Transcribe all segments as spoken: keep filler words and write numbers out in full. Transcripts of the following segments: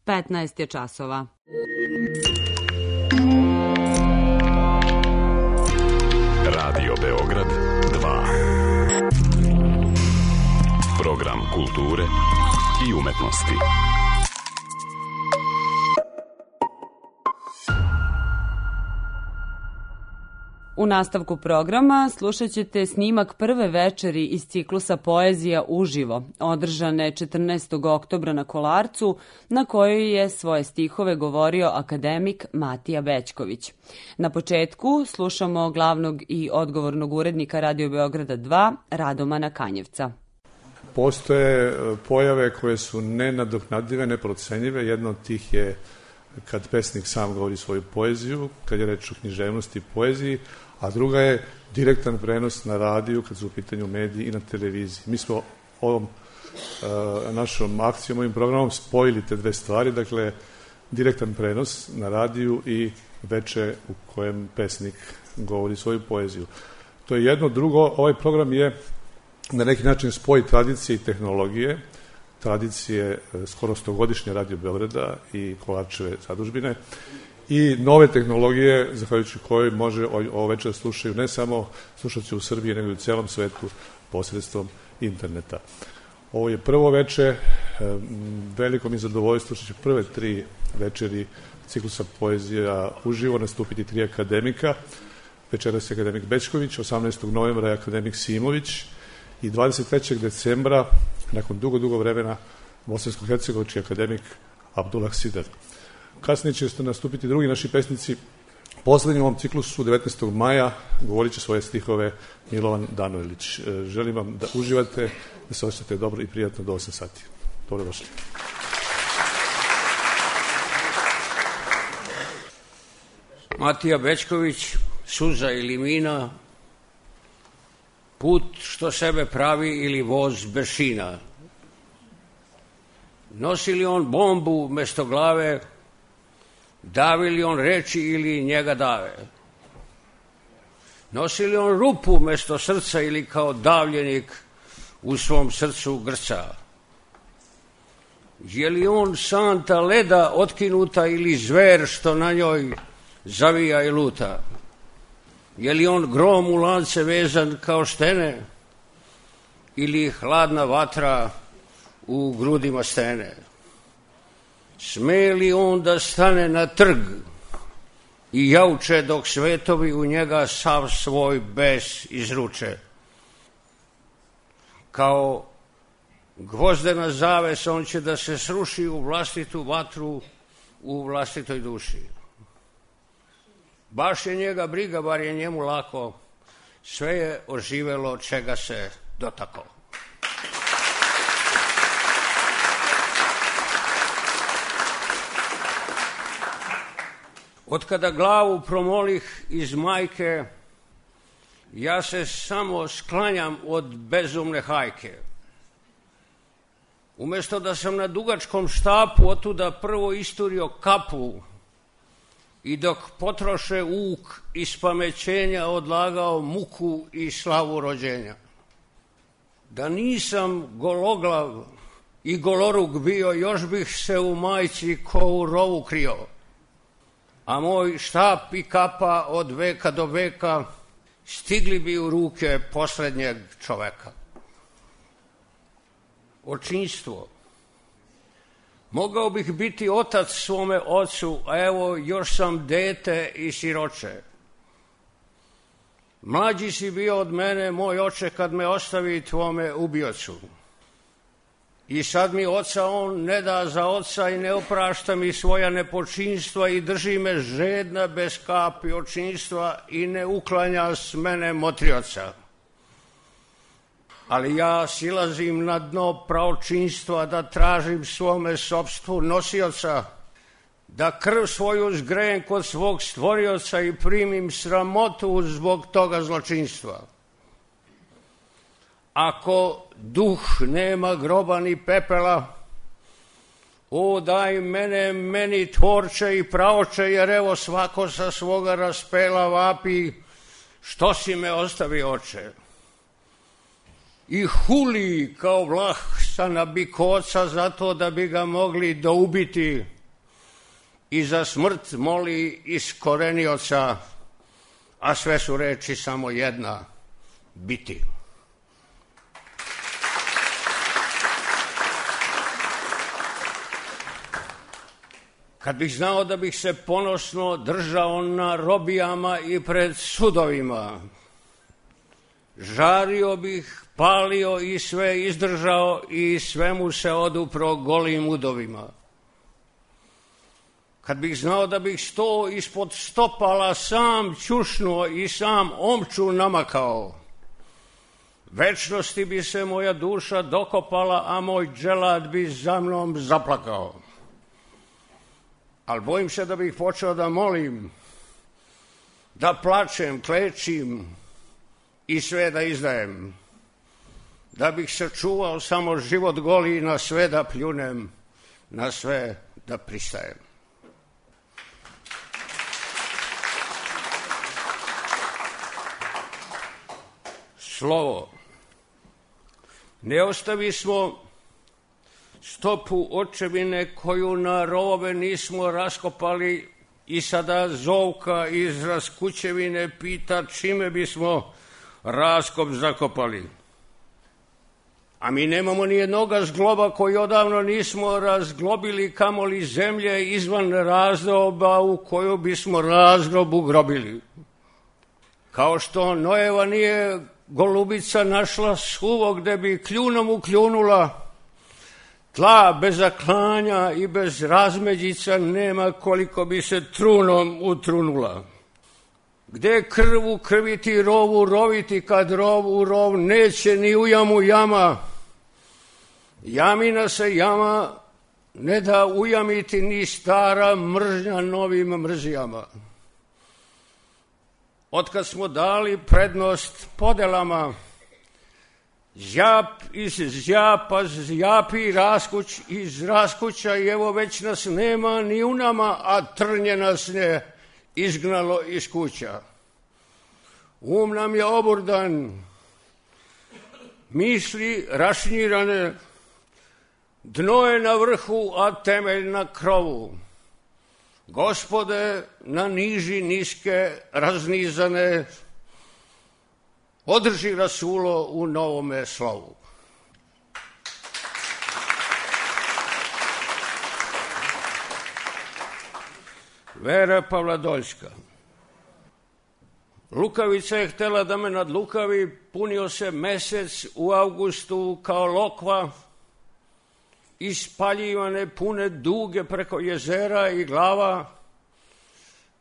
petnaest je časova. Radio Beograd dva. Program kulture i umetnosti. U nastavku programa slušat ćete snimak prve večeri iz ciklusa Poezija uživo, održane četrnaestog oktobra na Kolarcu, na kojoj je svoje stihove govorio akademik Matija Bećković. Na početku slušamo glavnog i odgovornog urednika Radio Beograda dva, Radomana Kanjevca. Postoje pojave koje su nenadoknadive, neprocenjive. Jedna od tih je kad pesnik sam govori svoju poeziju, kad je reč o književnosti i poeziji, a druga je direktan prenos na radiju kad su u pitanju mediji i na televiziji. Mi smo ovom uh, našom akcijom, ovim programom spojili te dve stvari, dakle direktan prenos na radiju i veče u kojem pesnik govori svoju poeziju. To je jedno. Drugo, ovaj program je na neki način spoj tradicije i tehnologije, tradicije skoro stogodišnje Radio Beograda i Kolarčeve zadužbine i nove tehnologije, zahvaljujući kojoj može ovo večer slušaju ne samo slušalci u Srbiji, nego i u celom svetu posredstvom interneta. Ovo je prvo veče, veliko mi zadovoljstvo što će prve tri večeri ciklusa Poezija uživo nastupiti tri akademika. Večeras je akademik Bećković, osamnaestog novembra je akademik Simović i dvadeset trećeg decembra, nakon dugo, dugo vremena, bosansko-hercegovački akademik Abdullah Sidar. Kasnije će nastupiti drugi naši pesnici. Poslednji u ovom ciklusu, devetnaestog maja, govorit će svoje stihove Milovan Danojlić. Želim vam da uživate, da se osjećate dobro i prijatno do osam sati. Dobrodošli. Matija Bećković, Suza ili mina, put što sebe pravi ili voz bez šina. Nosi li on bombu mesto glave, davi li on reči ili njega dave? Nosi li on rupu mesto srca ili kao davljenik u svom srcu grca? Je li on santa leda otkinuta ili zver što na njoj zavija i luta? Je li on grom u lance vezan kao štene ili hladna vatra u grudima stene? Sme li on da stane na trg i jauče dok svetovi u njega sav svoj bes izruče? Kao gvozdena zaves on će da se sruši u vlastitu vatru u vlastitoj duši. Baš je njega briga, bar je njemu lako, sve je oživelo čega se dotako. Otkada glavu promolih iz majke, ja se samo sklanjam od bezumne hajke. Umesto da sam na dugačkom štapu otuda prvo isturio kapu i dok potroše uk iz pamećenja odlagao muku i slavu rođenja. Da nisam gologlav i goloruk bio, još bih se u majci ko u rovu krio. A moj štap i kapa od veka do veka stigli bi u ruke poslednjeg čoveka. Očinstvo. Mogao bih biti otac svome ocu, a evo još sam dete i siroče. Mlađi si bio od mene, moj oče, kad me ostavi tvome ubiocu. I sad mi oca on ne da za oca i ne oprašta mi svoja nepočinstva i drži me žedna bez kapi očinstva i ne uklanja s mene motrioca. Ali ja silazim na dno pravočinstva da tražim svome sopstvu nosioca, da krv svoju zgrejem kod svog stvorioca i primim sramotu zbog toga zločinstva. Ako duh nema groba ni pepela, o daj mene, meni tvorče i praoče, jer evo svako sa svoga raspela vapi, što si me ostavi oče? I huli kao vlah sa nabikoca zato da bi ga mogli doubiti i za smrt moli iskorenioca, a sve su reči samo jedna, biti. Kad bih znao da bih se ponosno držao na robijama i pred sudovima, žario bih, palio i sve izdržao i svemu se odupro golim udovima. Kad bih znao da bih sto ispod stopala sam ćušnuo i sam omču namakao, večnosti bi se moja duša dokopala, a moj dželad bi za mnom zaplakao. Ali bojim se da bih počeo da molim, da plačem, klečim i sve da izdajem, da bih se čuvao samo život goli i na sve da pljunem, na sve da pristajem. Slovo. Ne ostavi smo stopu očevine koju na rovove nismo raskopali i sada Zovka iz Raskućevine pita čime bismo raskop zakopali. A mi nemamo ni jednoga zgloba koji odavno nismo razglobili, kamoli zemlje izvan razdoba u koju bismo razgrob ugrobili. Kao što Noeva nije golubica našla suvo gde bi kljunom ukljunula, tla bez zaklanja i bez razmeđica nema koliko bi se trunom utrunula. Gde krvu krviti, rovu roviti, kad rov u rov neće ni u jamu jama. Jamina se jama ne da ujamiti ni stara mržnja novim mrzijama. Otkad smo dali prednost podelama, zjap iz zjapa zjapi raskuć iz raskuća i evo već nas nema ni u nama, a trnje nas ne izgnalo iz kuća. Um nam je oburdan, misli rašnirane, dno je na vrhu, a temelj na krovu. Gospode, na niži niske raznizane, održi rasulo u novome slovu. Vera Pavladoljska. Lukavica je htela da me nadlukavi, punio se mesec u avgustu kao lokva, ispaljivane pune duge preko jezera i glava,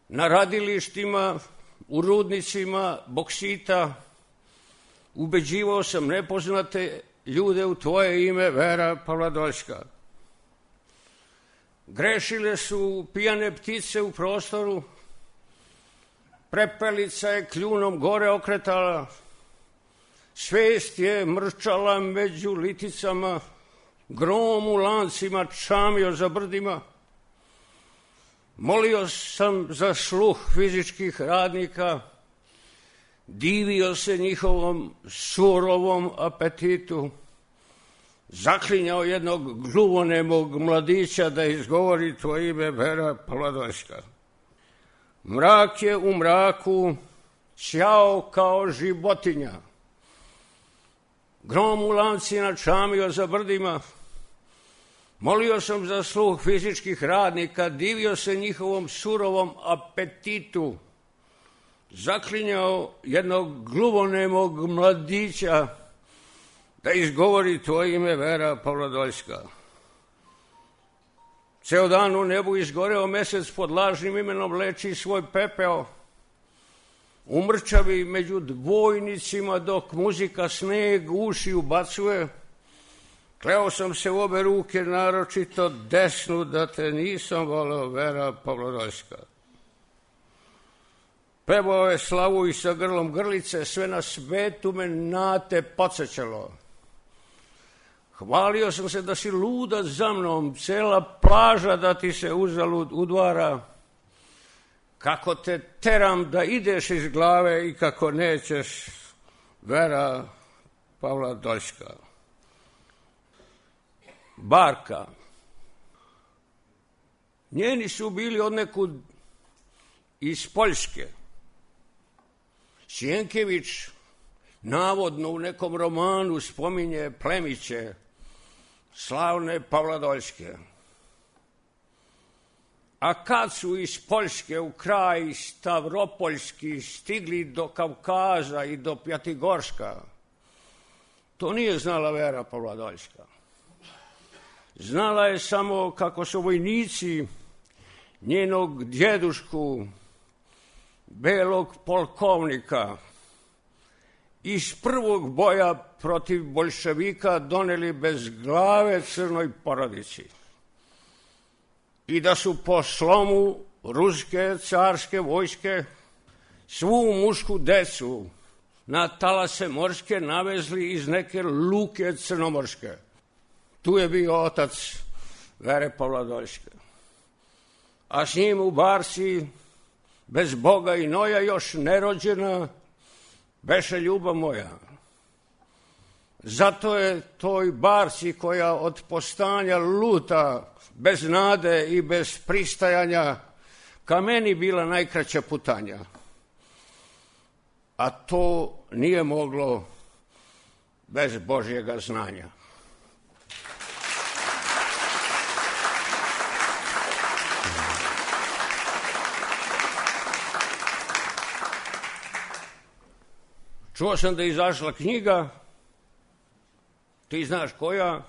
na radilištima, u rudnicima boksita, ubeđivao sam nepoznate ljude u tvoje ime, Vera Pavladoljska. Grešile su pijane ptice u prostoru, prepelica je kljunom gore okretala, svest je mrčala među liticama, grom u lancima čamio za brdima. Molio sam za sluh fizičkih radnika, divio se njihovom surovom apetitu, zaklinjao jednog gluvonemog mladića da izgovori tvoje ime, Vera Pavladoljska. Mrak je u mraku ćao kao životinja, grom u lancima čamio za brdima. Molio sam za sluh fizičkih radnika, divio se njihovom surovom apetitu, zaklinjao jednog gluvonemog mladića da izgovori tvoje ime, Vera Pavladoljska. Ceo dan u nebu izgoreo mesec pod lažnim imenom leči svoj pepeo, umrčavi među dvojnicima dok muzika sneg uši ubacuje. Kleo sam se u obe ruke, naročito desnu, da te nisam voleo, Vera Pavladoljska. Pevao je slavu i sa grlom grlice, sve na svetu me na te podsjećalo. Hvalio sam se da si luda za mnom, cela plaža da ti se uzalud udvara. Kako te teram da ideš iz glave i kako nećeš, Vera Pavladoljska. Barka. Njeni su bili odnekud iz Poljske. Sjenkević navodno u nekom romanu spominje plemiće slavne Pavladoljske. A kad su iz Poljske u kraj Stavropoljski stigli do Kavkaza i do Pjatigorska, to nije znala Vera Pavladoljska. Znala je samo kako su vojnici njenog djedušku, belog polkovnika, iz prvog boja protiv boljševika doneli bez glave crnoj porodici i da su po slomu ruske carske vojske svu mušku decu na talase morske navezli iz neke luke crnomorske. Tu je bio otac Vere Pavladoljske. A s njim u barci, bez Boga i noja, još nerođena, beše ljubav moja. Zato je toj barci koja od postanja luta, bez nade i bez pristajanja, ka meni bila najkraća putanja. A to nije moglo bez Božjega znanja. Čuo sam da je izašla knjiga, ti znaš koja,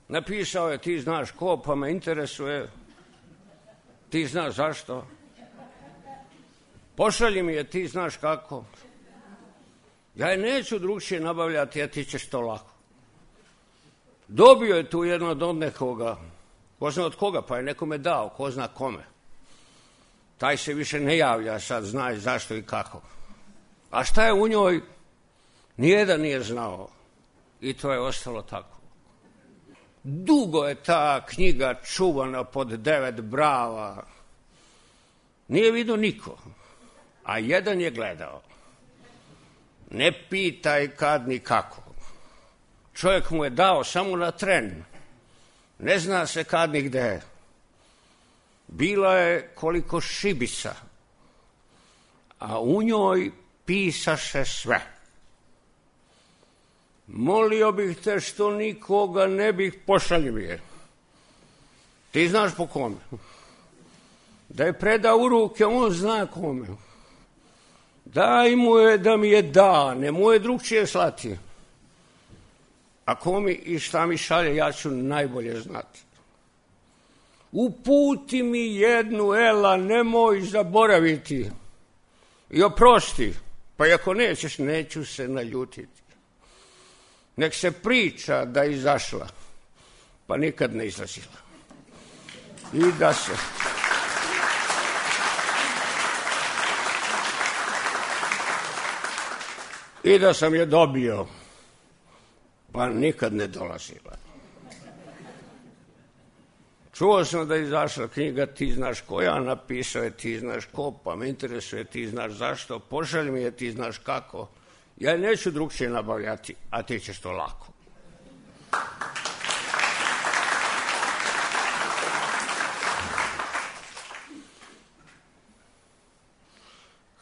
napisao je ti znaš ko, pa me interesuje, ti znaš zašto. Pošalji mi je, ti znaš kako. Ja je neću drugčije nabavljati, a ti ćeš to lako. Dobio je tu jedno od nekoga, ko zna od koga, pa je nekome dao, ko zna kome. Taj se više ne javlja, sad zna zašto i kako. A šta je u njoj, nijedan nije znao. I to je ostalo tako. Dugo je ta knjiga čuvana pod devet brava. Nije vidio niko, a jedan je gledao. Ne pitaj kad ni kako. Čovjek mu je dao samo na tren. Ne zna se kad ni gde. Bila je koliko šibica, a u njoj pisaše sve. Molio bih te što nikoga ne bih pošaljivije. Ti znaš po kome. Da je preda u ruke, on zna kome. Daj mu je da mi je da, ne mu je drugčije slati. A ko mi i šta mi šalje, ja ću najbolje znati. Uputi mi jednu, Ela, nemoj zaboraviti. I oprosti, pa i ako nećeš, neću se naljutiti. Nek se priča da je izašla, pa nikad ne izlazila. I da se... I da sam je dobio, pa nikad ne dolazila. Čuo sam da je izašla knjiga, ti znaš koja, napisao je ti znaš ko, pa me interesuje ti znaš zašto, pošalj mi je ti znaš kako. Ja neću drugčije nabavljati, a ti ćeš to lako.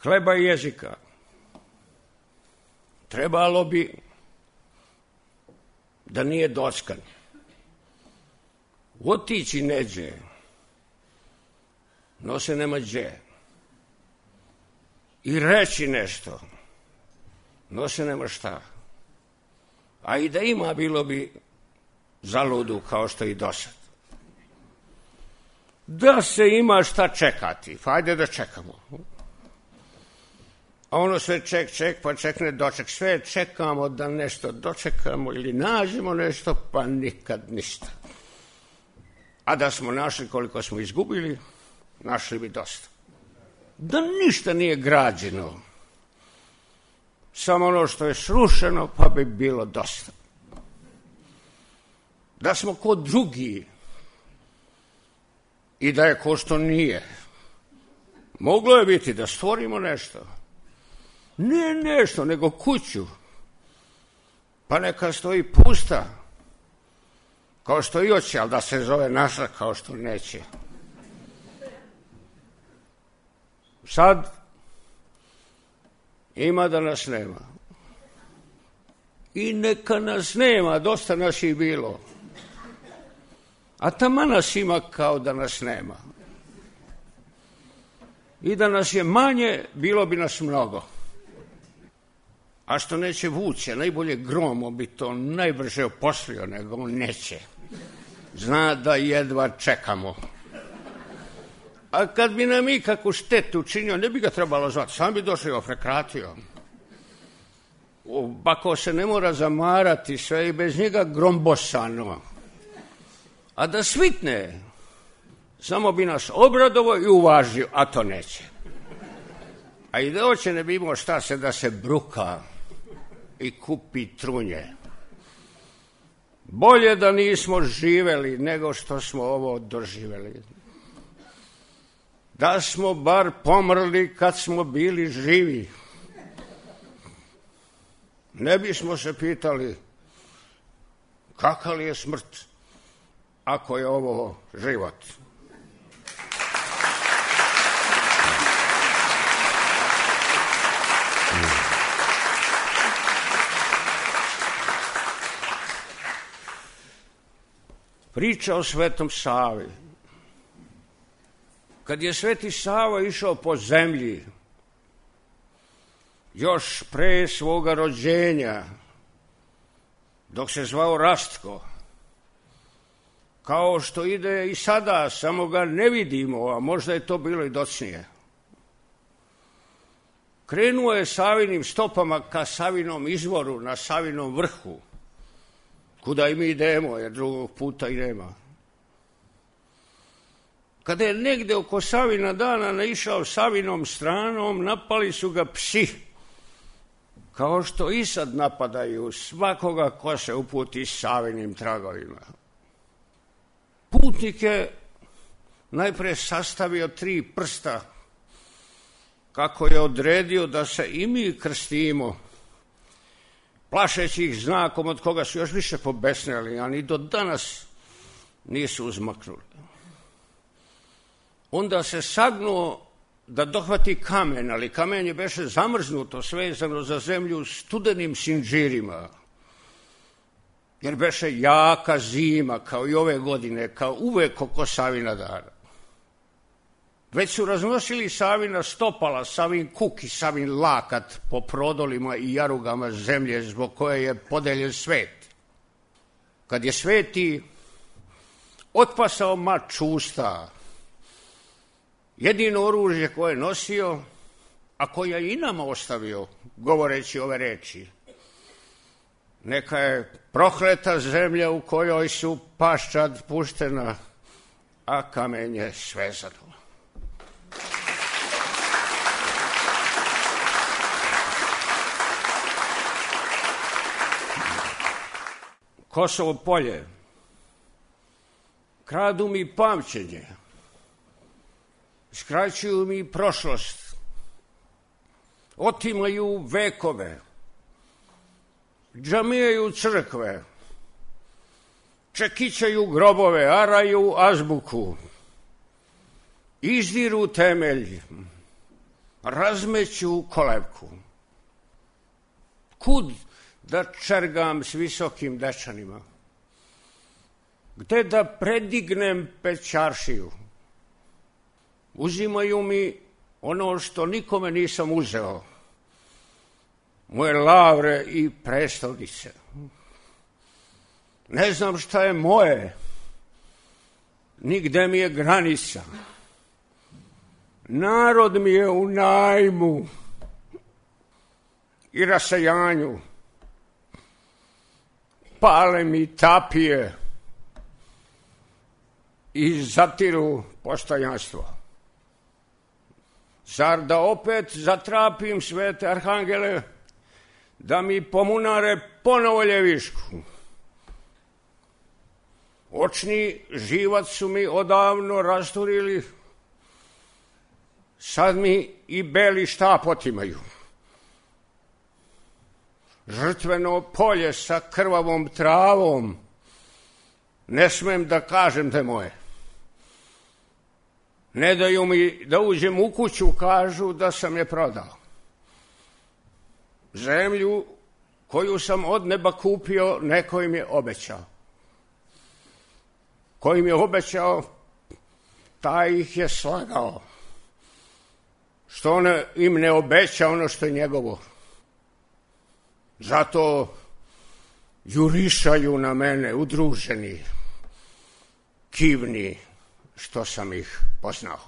Hleba i jezika. Trebalo bi da nije dockan. Otići neđe, no se nema đe. I reći nešto, no se nema šta. A i da ima, bilo bi zaludu kao što i dosad. Da se ima šta čekati, pa ajde da čekamo. A ono sve ček, ček, pa čekne doček. Sve čekamo da nešto dočekamo ili nađemo nešto, pa nikad ništa. A da smo našli koliko smo izgubili, našli bi dosta. Da ništa nije građeno, samo ono što je srušeno, pa bi bilo dosta. Da smo ko drugi i da je ko što nije. Moglo je biti da stvorimo nešto. Ne nešto, nego kuću. Pa neka stoji pusta. Kao što i hoće, ali da se zove naša, kao što neće. Sad ima da nas nema. I neka nas nema, dosta nas je bilo. A taman nas ima kao da nas nema. I da nas je manje, bilo bi nas mnogo. A što neće vuče, najbolje gromom bi to najbrže oposlio, nego on neće. Zna da jedva čekamo. A kad bi nam ikakvu štetu učinio, ne bi ga trebalo zvati, sam bi došao i ofrekratio. Bako se ne mora zamarati, sve i bez njega grombosano. A da svitne, samo bi nas obradovo i uvažio, a to neće. A i da hoće ne bi imao šta se da se bruka i kupi trunje. Bolje da nismo živeli nego što smo ovo doživeli. Da smo bar pomrli kad smo bili živi. Ne bismo se pitali kakav je smrt ako je ovo život. Priča o Svetom Savi. Kad je Sveti Sava išao po zemlji, još pre svoga rođenja, dok se zvao Rastko, kao što ide i sada, samo ga ne vidimo, a možda je to bilo i docnije. Krenuo je Savinim stopama ka Savinom izvoru na Savinom vrhu, kuda i mi idemo, jer drugog puta i nema. Kada je negde oko Savina dana naišao Savinom stranom, napali su ga psi, kao što i sad napadaju svakoga ko se uputi Savinim tragovima. Putnik je najpre sastavio tri prsta, kako je odredio da se i mi krstimo, plašeći ih znakom od koga su još više pobesneli, a ni do danas nisu uzmaknuli. Onda se sagnuo da dohvati kamen, ali kamen je beše zamrznuto, svezano za zemlju studenim sinđirima, jer beše jaka zima, kao i ove godine, kao uvek oko Savina dana. Već su raznosili Savina stopala, Savin kuk i Savin lakat po prodolima i jarugama zemlje zbog koje je podeljen svet. Kad je Sveti otpasao mač usta, jedino oružje koje je nosio, a koje je i nama ostavio, govoreći ove reči: neka je prokleta zemlja u kojoj su paščad puštena, a kamen je svezano. Kosovo polje. Kradu mi pamćenje. Skraćuju mi prošlost. Otimaju vekove. Džamijaju crkve. Čekićaju grobove, araju azbuku. Izdiru temelj. Razmeću kolevku. Kud da čergam s visokim dečanima? Gde da predignem pećaršiju? Uzimaju mi ono što nikome nisam uzeo, moje lavre i prestolnice. Ne znam šta je moje, nigde mi je granica. Narod mi je u najmu i rasajanju. Pale mi tapije i zatiru postojanstvo. Zar da opet zatrapim svete arhangele da mi pomunare ponovo ljevišku? Očni živac su mi odavno rasturili, sad mi i beli štap otimaju. Žrtveno polje sa krvavom travom ne smem da kažem da je moje. Ne daju mi da uđem u kuću, kažu da sam je prodao. Zemlju koju sam od neba kupio, neko im je obećao. Ko im je obećao, taj ih je slagao. Što on im ne obeća ono što je njegovo. Zato jurišaju na mene udruženi, kivni, što sam ih poznao.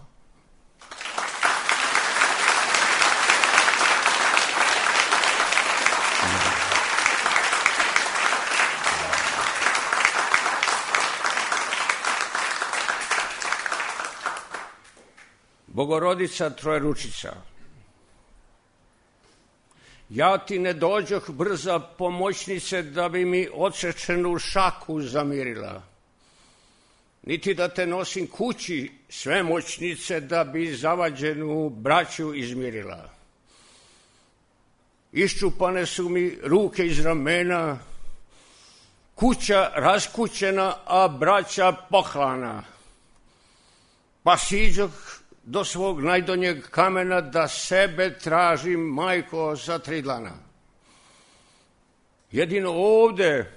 Bogorodica Trojeručica, ja ti ne dođoh brza pomoćnice da bi mi odsečenu šaku zamirila, niti da te nosim kući svemoćnice da bi zavađenu braću izmirila. Iščupane su mi ruke iz ramena, kuća raskućena, a braća poklana, pa siđoh do svog najdonjeg kamena da sebe tražim, majko, za tri dlana. Jedino ovde,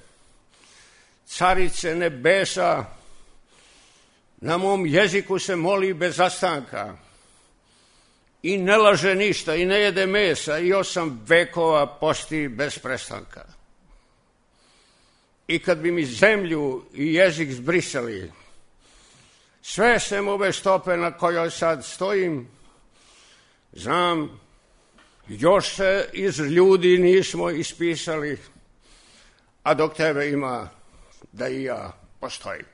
carice nebesa, na mom jeziku se moli bez zastanka i ne laže ništa i ne jede mesa i osam vekova posti bez prestanka. I kad bi mi zemlju i jezik zbrisali, sve sem ove stope na kojoj sad stojim, znam, još se iz ljudi nismo ispisali, a dok tebe ima, da i ja postojim.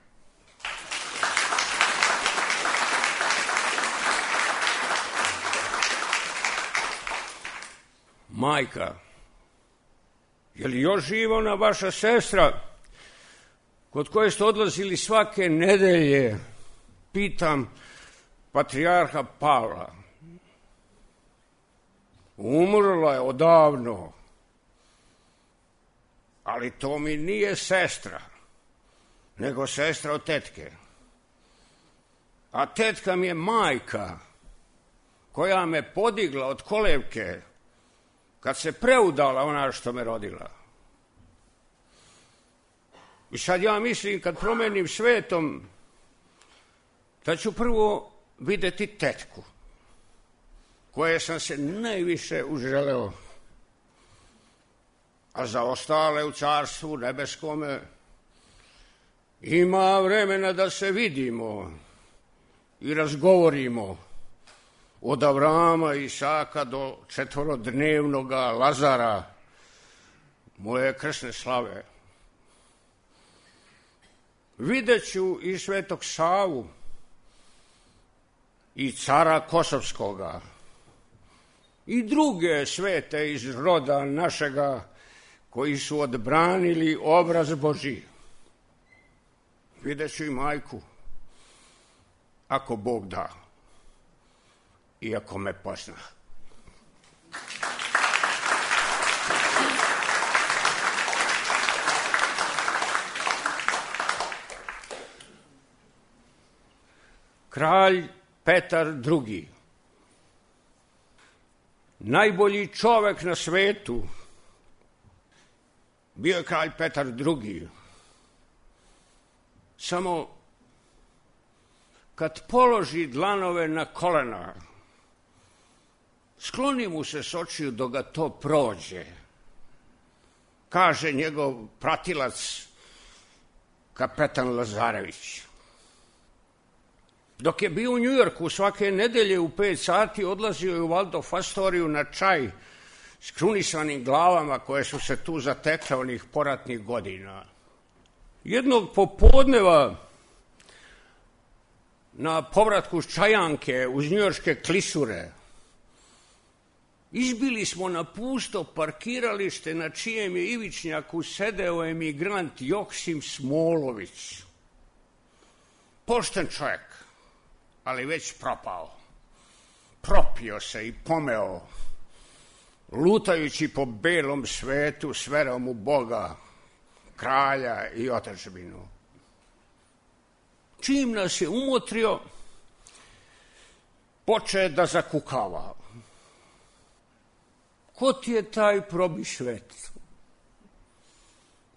Majka, je li još živa ona vaša sestra, kod koje ste odlazili svake nedelje, pitam patrijarha Pavla? Umrla je odavno, ali to mi nije sestra, nego sestra od tetke. A tetka mi je majka, koja me podigla od kolevke kad se preudala ona što me rodila. I sad ja mislim, kad promenim svetom, da ću prvo videti tetku, koje sam se najviše uželeo, a za ostale u carstvu nebeskome ima vremena da se vidimo i razgovorimo od Avrama i Isaka do četvorodnevnoga Lazara, moje krsne slave. Vidjet ću i Svetog Savu i cara Kosovskoga i druge svete iz roda našega koji su odbranili obraz Božji. Vidjet ću i majku, ako Bog da, i ako me pozna. Kralj Petar drugi, najbolji čovek na svetu, bio je kralj Petar drugi. Samo kad položi dlanove na kolena, skloni mu se s očiju dok ga to prođe, kaže njegov pratilac kapetan Lazarević. Dok je bio u Njujorku, svake nedelje u pet sati odlazio je u Waldorf Astoriju na čaj s krunisanim glavama koje su se tu zatekle onih poratnih godina. Jednog popodneva na povratku s Čajanke uz njujorške klisure izbili smo na pusto parkiralište na čijem je ivičnjaku sedeo emigrant Joksim Smolović. Pošten čovjek, ali već propao. Propio se i pomeo, lutajući po belom svetu s verom u Boga, kralja i otadžbinu. čim nas je umotrio, poče da zakukava. Ko ti je taj probišvet?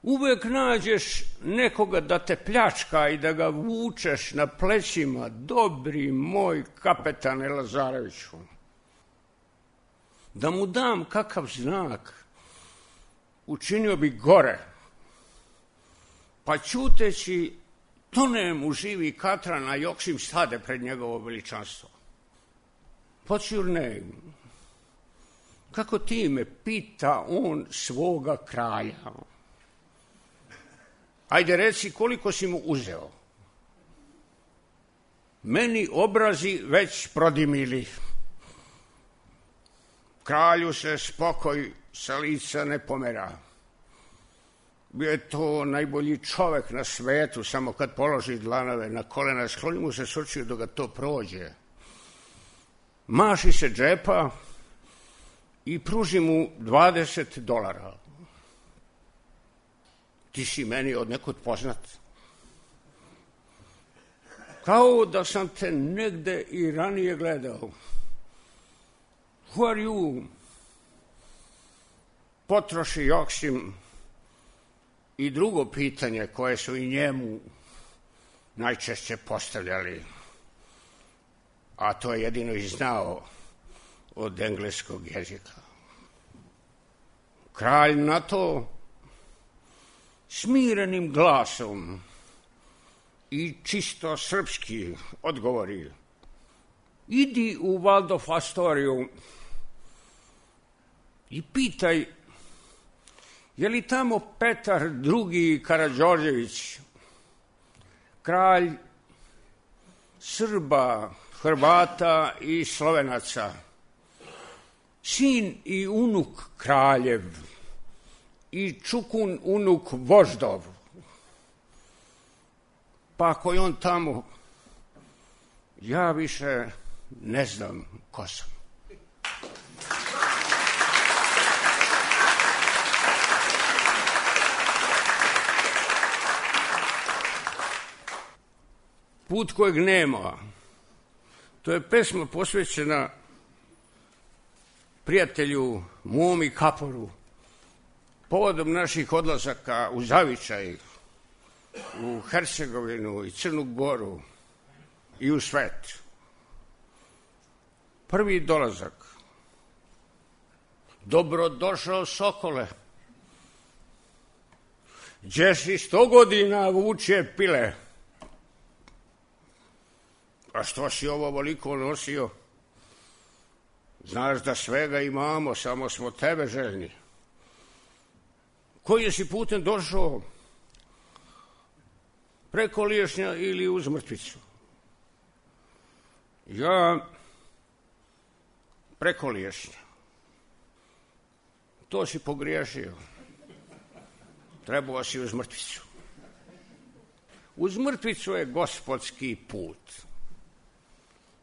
Uvek nađeš nekoga da te pljačka i da ga vučeš na plećima, dobri moj kapetane Lazareviću. Da mu dam kakav znak, učinio bi gore, pa ćuteći tonem u živi katran, a Joksim stade pred njegovo veličanstvo. What's your name? Kako ti me pita on svoga kralja? Ajde reci koliko si mu uzeo. Meni obrazi već prodimili. Kralju se spokoj sa lica ne pomera. Bio je to najbolji čovek na svetu, samo kad položi dlanove na kolena, skloni mu se s očiju dok ga to prođe. Maši se džepa i pruži mu dvadeset dolara. Ti si meni od nekud poznat. Kao da sam te negde i ranije gledao. Who are you? Potroši Joksim i drugo pitanje koje su i njemu najčešće postavljali, a to je jedino i znao od engleskog jezika. Kralj na to smirenim glasom i čisto srpski odgovori: idi u Waldorf Astoriju i pitaj je li tamo Petar drugi Karađorđević, kralj Srba, Hrvata i Slovenaca, sin i unuk kraljev i čukun unuk voždov. Pa ako je on tamo, ja više ne znam ko sam. Put kojeg nema. To je pesma posvećena prijatelju mom i Kaporu povodom naših odlazaka u Zavičaj, u Hercegovinu i Crnu Goru i u svet. Prvi dolazak. Dobrodošao Sokole. Gdje si sto godina vuče pile? A što si ovo voliko nosio? Znaš da svega imamo, samo smo tebe željni. Koji si putem došao? Preko Liješnja ili uz Mrtvicu? Ja preko Liješnja. To si pogriješio. Trebao si uz Mrtvicu. Uz Mrtvicu je gospodski put.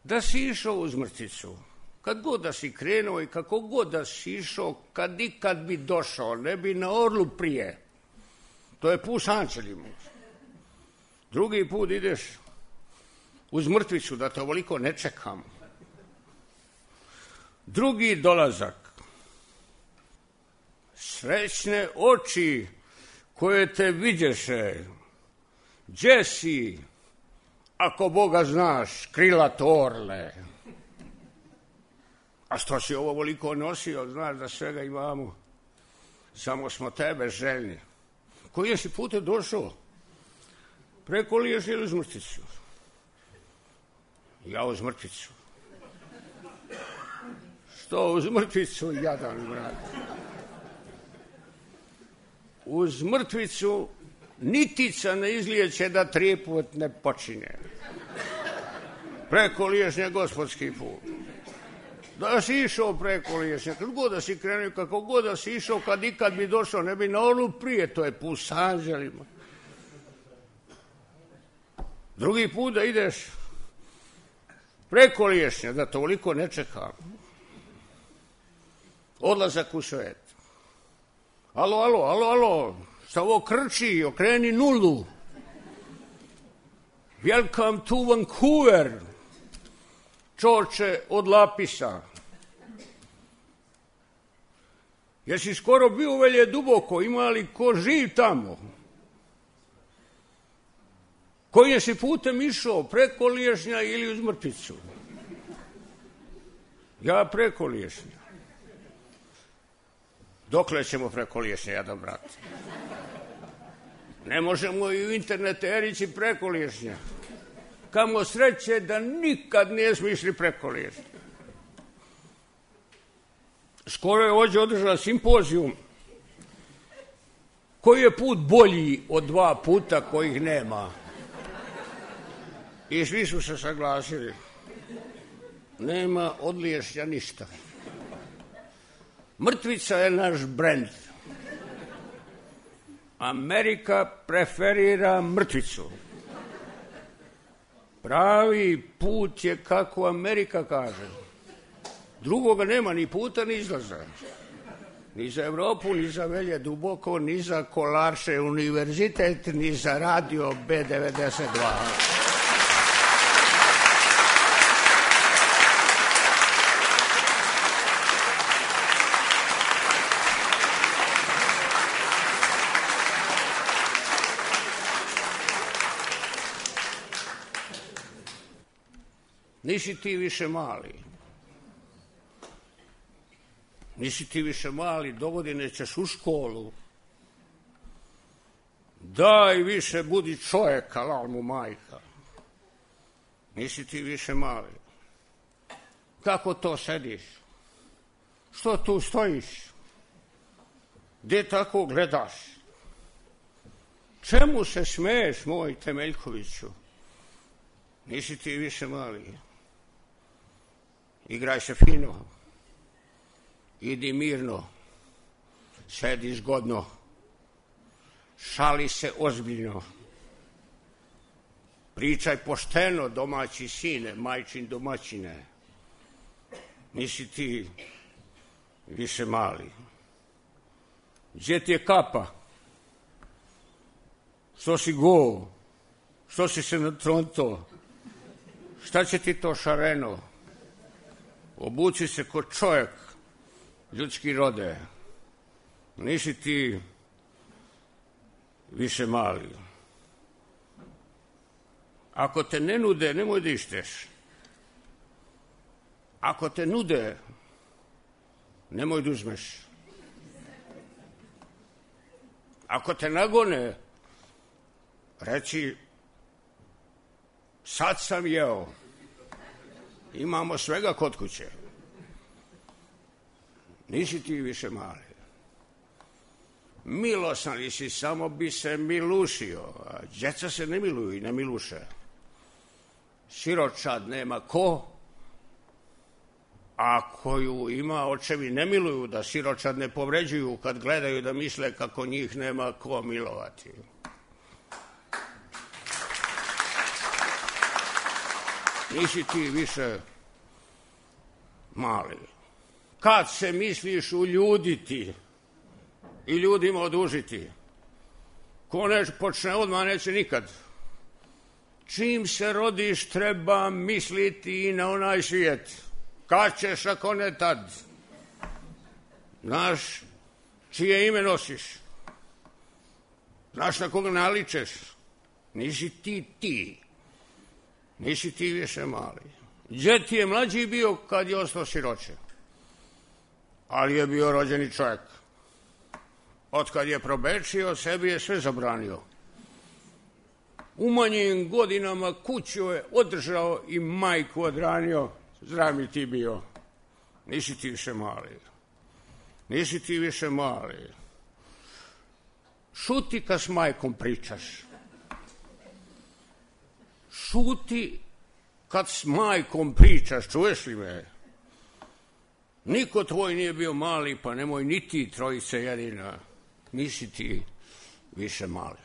Da si išao uz Mrtvicu, kad god da si krenuo i kako god da si išao, kad ikad bi došao, ne bi na orlu prije. To je put s anđelima. Drugi put ideš uz Mrtvicu, da te ovoliko ne čekam. Drugi dolazak. Srećne oči koje te vidješe. Gdje si, ako Boga znaš, krilat orle? A što si ovo voliko nosio, znaš da svega imamo, samo smo tebe željni. Koji si putem došao? Preko Liješnja ili uz Mrtvicu? Ja uz Mrtvicu. Što uz Mrtvicu, jadan brat? Uz Mrtvicu nitica ne izlijeće da trijeput ne počinje. Preko Liješnja gospodski put. Da si išao preko Liješnja, kad god da si krenuo, kako god da si išao, kad ikad bi došao, ne bi na onu prije, to je put s anđelima. Drugi put da ideš preko Liješnja, da toliko ne čekam. Odlazak u svet. Alo, alo, alo, alo, šta ovo krči, okreni nulu. Welcome to Vancouver, čoče od Lapisa. Jesi skoro bio u Velje duboko, ima li ko živ tamo? Kojim si putem išao, preko Liješnja ili uz Mrtvicu? Ja preko Liješnja. Dokle ćemo preko Liješnja, jadan brat? Ne možemo i u internet erići preko Liješnja. Kamo sreće da nikad nije smišli preko Liješnja. Skoro je ovdje održala simpozijum. Koji je put bolji od dva puta kojih nema? I svi su se saglasili. Nema od Liješnja ništa. Mrtvica je naš brend. Amerika preferira Mrtvicu. Pravi put je kako Amerika kaže. Drugoga nema ni puta ni izlaza. Ni za Evropu, ni za Velje duboko, ni za Kolarče univerzitet, ni za radio B devedeset dva. Nisi ti više mali. Nisi ti više mali, dogodine ćeš u školu. Daj više, budi čovjek, alal mu majka. Nisi ti više mali. Kako to sediš? Što tu stojiš? Gdje tako gledaš? Čemu se smeješ, moj Temeljkoviću? Nisi ti više mali. Igraj se fino. Idi mirno. Sedi zgodno. Šali se ozbiljno. Pričaj pošteno, domaći sine, majčin domaćine. Nisi ti više mali. Gdje ti je kapa? Što si go? Što si se natronto? Šta će ti to šareno? Obuci se ko čovjek, ljudski rode. Nisi ti više mali. Ako te ne nude, nemoj da išteš. Ako te nude, nemoj da uzmeš. Ako te nagone, reci, sad sam jeo. Imamo svega kod kuće. Nisi ti više mali. Milosan li si, samo bi se milušio. A djeca se ne miluju i ne miluše. Siročad nema ko, a koju ima očevi ne miluju, da siročad ne povređuju kad gledaju, da misle kako njih nema ko milovati. Nisi ti više mali. Kad se misliš uljuditi i ljudima odužiti, ko ne počne odmah, neće nikad. Čim se rodiš, treba misliti i na onaj svijet. Kad ćeš, ako ne tad? Znaš čije ime nosiš? Znaš na koga naličeš? Nisi ti ti. Nisi ti više mali. Gdje ti je mlađi bio kad je ostao siroče? Ali je bio rođeni čovjek. Otkad je probečio, sebi je sve zabranio. U manjim godinama kuću je održao i majku odranio. Zdrav mi ti bio. Nisi ti više mali. Nisi ti više mali. Šuti kad s majkom pričaš. Šuti kad s majkom pričaš, čuješ li me? Niko tvoj nije bio mali, pa nemoj ni ti trojice jedina. Nisi ti više mali.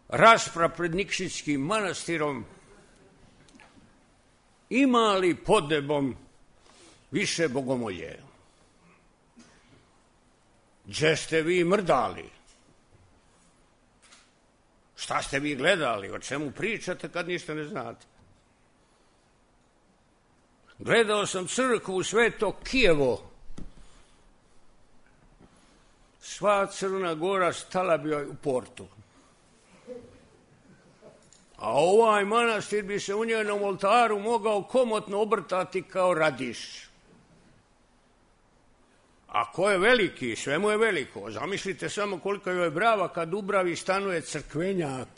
Rasprava pred Nikšićkim manastirom, ima li pod nebom više bogomolje. Gdje ste vi mrdali? Šta ste vi gledali? O čemu pričate kad ništa ne znate? Gledao sam crkvu Sveto Kijevo. Sva Crna Gora stala bi joj u portu. A ovaj manastir bi se u njenom oltaru mogao komotno obrtati kao radiš. A ko je veliki, sve mu je veliko. Zamislite samo koliko joj je brava kad u bravi stanuje crkvenjak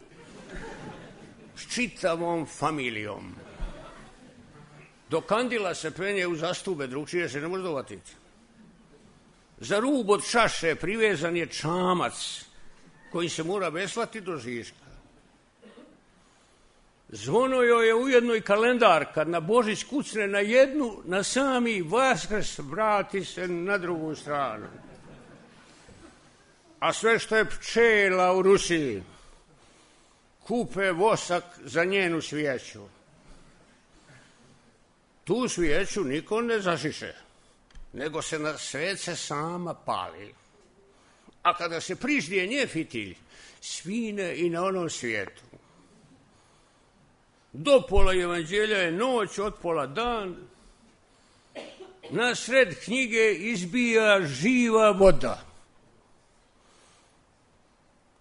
s čitavom familijom. Do kandila se penje u zastube, drugčije se ne može dovatiti. Za rub od čaše privezan je čamac koji se mora veslati do žiška. Zvono joj je ujedno i kalendar, kad na Božić kucne na jednu, na sami Vaskrs vrati se na drugu stranu. A sve što je pčela u Rusiji, kupe vosak za njenu svijeću. Tu svijeću niko ne zašiše, nego se na svece sama pali. A kada se priždije nje fitilj, svine i na onom svijetu. Do pola evanđelja je noć, od pola dan. Na sred knjige izbija živa voda.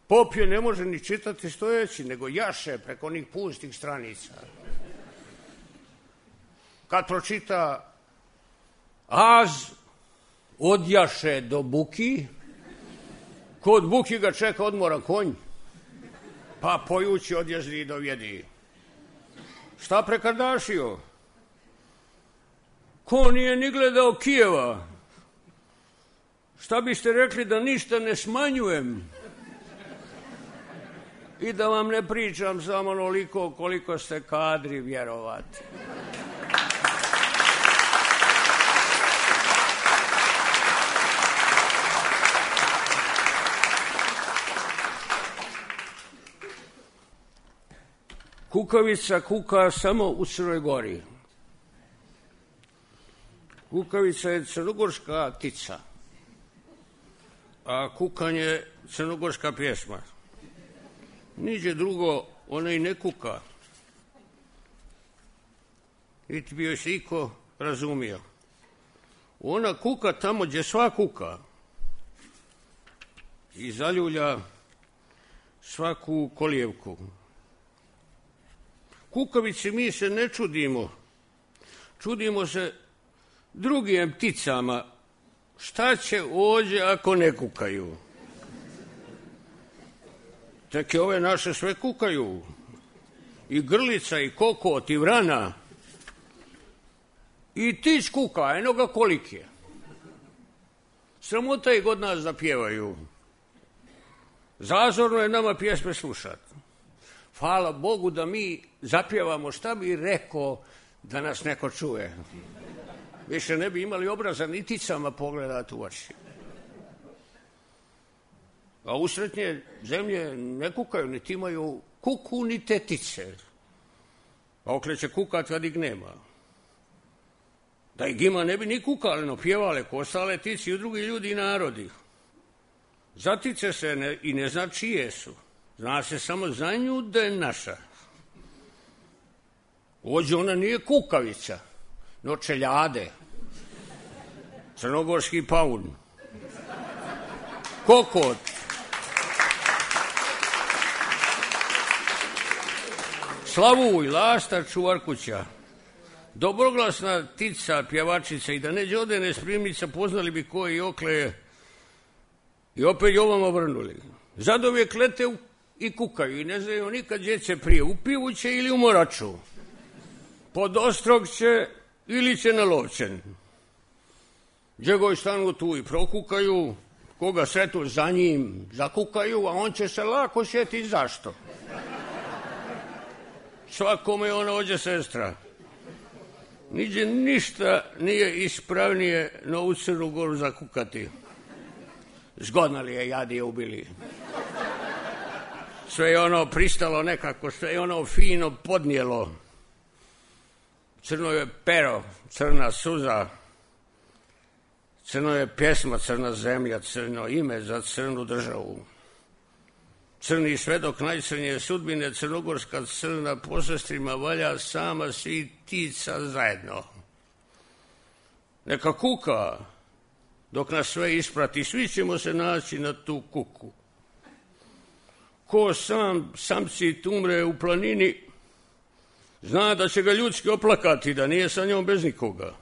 Pop je ne može ni čitati stojeći, nego jaše preko onih pustih stranica. Kad pročita az, odjaše do Buki, kod Buki ga čeka odmora konj, pa pojući odjezdi do Vjedi. Šta prekardašio? Ko nije ni gledao Kijeva? Šta biste rekli da ništa ne smanjujem? I da vam ne pričam samo onoliko koliko ste kadri vjerovati. Kukavica kuka samo u Crnoj Gori. Kukavica je crnogorska ptica, a kukanje je crnogorska pjesma. Niđe drugo, ona i ne kuka. Niti bi joj se iko razumio. Ona kuka tamo gdje sva kuka i zaljulja svaku kolijevku. Kukavici mi se ne čudimo, čudimo se drugim pticama. Šta će ođe ako ne kukaju? Tek ove naše sve kukaju. I grlica, i kokot, i vrana. I tić kuka, eno ga kolik je. Sramota i god nas da pjevaju. Zazorno je nama pjesme slušati. Hvala Bogu da mi zapjevamo, šta bi rekao da nas neko čuje. Više ne bi imali obraza ni ticama pogledati u oči. A usretnje zemlje ne kukaju, niti imaju kuku, ni tetice. A okreće kukat kad ih nema. Da ih ima ne bi ni kukali, no pjevale ko ostale tici i drugi ljudi i narodi. Zatice se ne, i ne zna čije su. Zna se samo za nju da je naša. Ođe ona nije kukavica, no čeljade. Crnogorski paun. Kokot. Slavuj, lastar, čuvar kuća. Dobroglasna tica, pjevačica i da neđe odene spremnica, poznali bi koji okle i opet ovom obrnuli. Zadovijek lete u i kukaju i ne znaju nikad gdje će prije, u pivu će ili u moraču. Pod ostrog će ili će na lovčen. Gdje goj stanu tu i prokukaju, koga sretu za njim zakukaju, a on će se lako sjetiti zašto. Svakome ona ođe sestra. Niđe ništa nije ispravnije no u Crnu Goru zakukati. Zgodno li je, jadi je ubili. Sve je ono pristalo nekako, sve je ono fino podnijelo. Crno je pero, crna suza, Crno je pjesma, crna zemlja, crno ime za crnu državu. Crni svedok najcrnije sudbine, crnogorska crna po sestrima valja sama svi tica zajedno. Neka kuka, dok nas sve isprati, svi ćemo se naći na tu kuku. Ko sam samci tumre u planini, zna da će ga ljudski oplakati, da nije sa njom bez nikoga.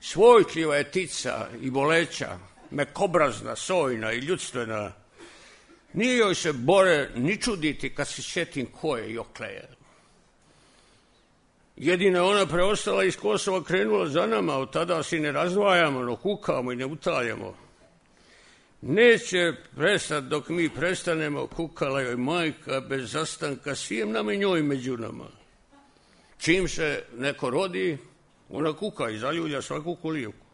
Svojkljiva je tica i boleća, mekobrazna, sojna i ljudstvena. Nije joj se bore ni čuditi kad se sjetim ko je i okleje. Jedina ona preostala iz Kosova krenula za nama, od tada si ne razdvajamo, no kukamo i ne utaljamo. Neće prestati dok mi prestanemo, kukala joj majka bez zastanka, svijem nam i njoj među nama. Čim se neko rodi, ona kuka i zaljulja svaku kolijevku.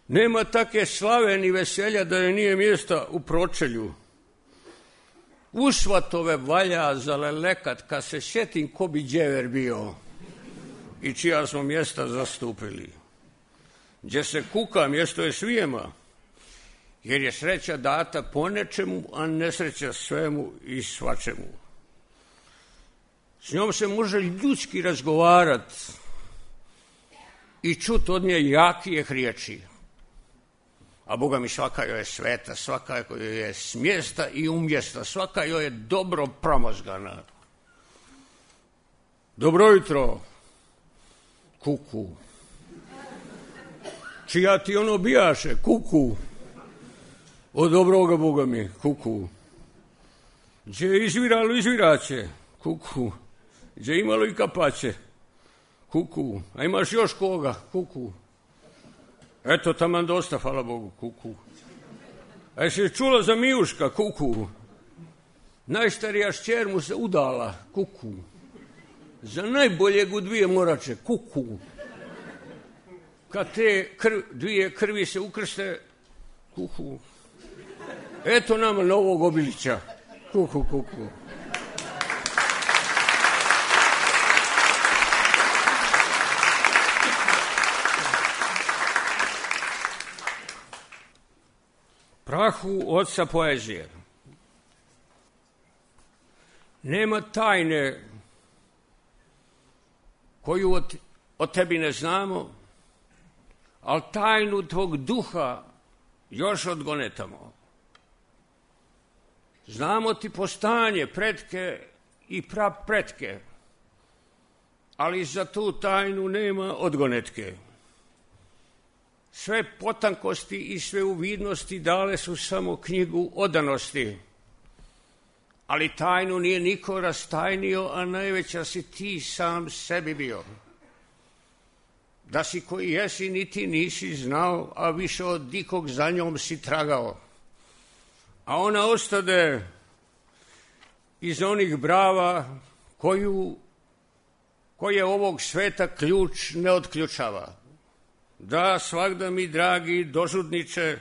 Nema take slave ni veselja da je nije mjesta u pročelju. U svatove valja zalelekat, kad se sjetim ko bi djever bio i čija smo mjesta zastupili. Gdje se kuka, mjesto je svijema, jer je sreća data po nečemu, a nesreća svemu i svačemu. S njom se može ljudski razgovarat i čut od nje jakijeh riječi. A Boga mi svaka joj je sveta, svaka joj je smjesta i umjesta, svaka joj je dobro promozgana. Dobro jutro, kuku. Čija ti ono bijaše, kuku. Od dobroga Boga mi, kuku. Gdje je izviralo, izviraće, kuku. Gdje je imalo i kapaće, kuku. A imaš još koga, kuku. Eto, taman dosta, hvala Bogu, kuku. A jesi čula za Mijuška, kuku? Najstarija šćer mu se udala, kuku. Za najboljeg u dvije morače, kuku. Kad te krv, dvije krvi se ukrste, kuku. Eto nama novog obilića, kuku, kuku. Prahu oca poezije. Nema tajne koju od, od tebi ne znamo, ali tajnu tvog duha još odgonetamo. Znamo ti postanje, pretke i prapretke, ali za tu tajnu nema odgonetke. Sve potankosti i sve uvidnosti dale su samo knjigu odanosti, ali tajnu nije niko rastajnio, a najveća si ti sam sebi bio. Da si koji jesi niti nisi znao, a više od dikog za njom si tragao. A ona ostade iz onih brava koju, koje ovog sveta ključ ne otključava. Da, svakda mi, dragi dožudniče,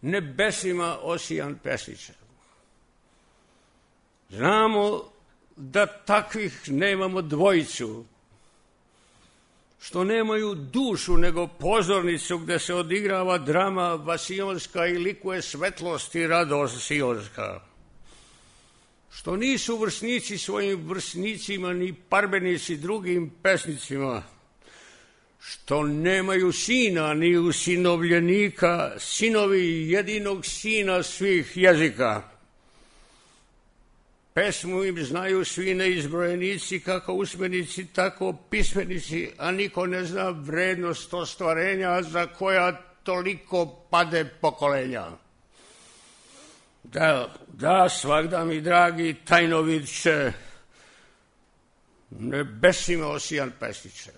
nebesima osijan pesniče. Znamo da takvih nemamo dvojicu, što nemaju dušu nego pozornicu gdje se odigrava drama vasionska i likuje svetlost i radost sionska. Što nisu vrsnici svojim vrsnicima ni parbenici drugim pesnicima. Što nemaju sina ni usinovljenika, sinovi jedinog sina svih jezika. Pesmu im znaju svi neizbrojenici, kako usmenici, tako pismenici, a niko ne zna vrednost ostvarenja za koja toliko pade pokolenja. Da, da, svakda mi, dragi tajnovidče, nebesima osijan pesniče.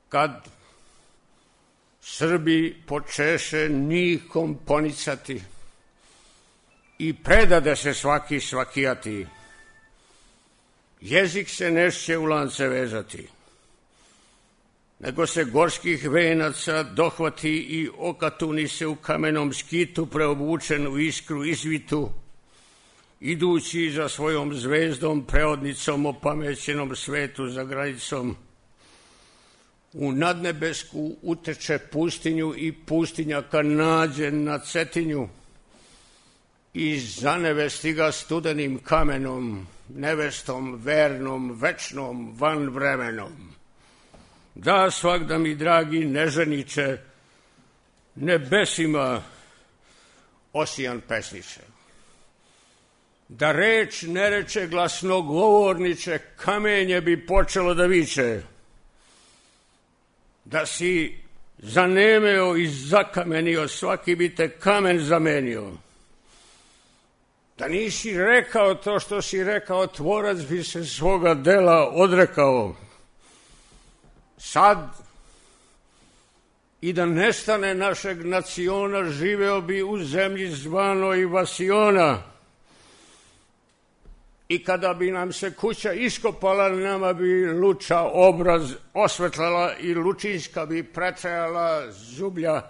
Kad Srbi počeše nikom ponicati i predade se svaki svakijati, jezik se nešće u lance vezati, nego se gorskih venaca dohvati i okatuni se u kamenom skitu preobučen u iskru izvitu, idući za svojom zvezdom preodnicom opamećenom svetu za granicom. u nadnebesku uteče pustinju i pustinja kad nađe na Cetinju i zanevesti ga studenim kamenom, nevestom, vernom, večnom, van vremenom. Da, svakda mi, dragi neženiče, nebesima osijan pesniče. Da reč ne reče glasnogovorniče, kamenje bi počelo da viče. Da si zanemeo i zakamenio, svaki bi te kamen zamenio. Da nisi rekao to što si rekao, tvorac bi se svoga dela odrekao. Sad, i da nestane našeg naciona, živeo bi u zemlji zvanoj Vasiona. I kada bi nam se kuća iskopala, nama bi luča obraz osvetlala i lučinska bi pretrajala zublja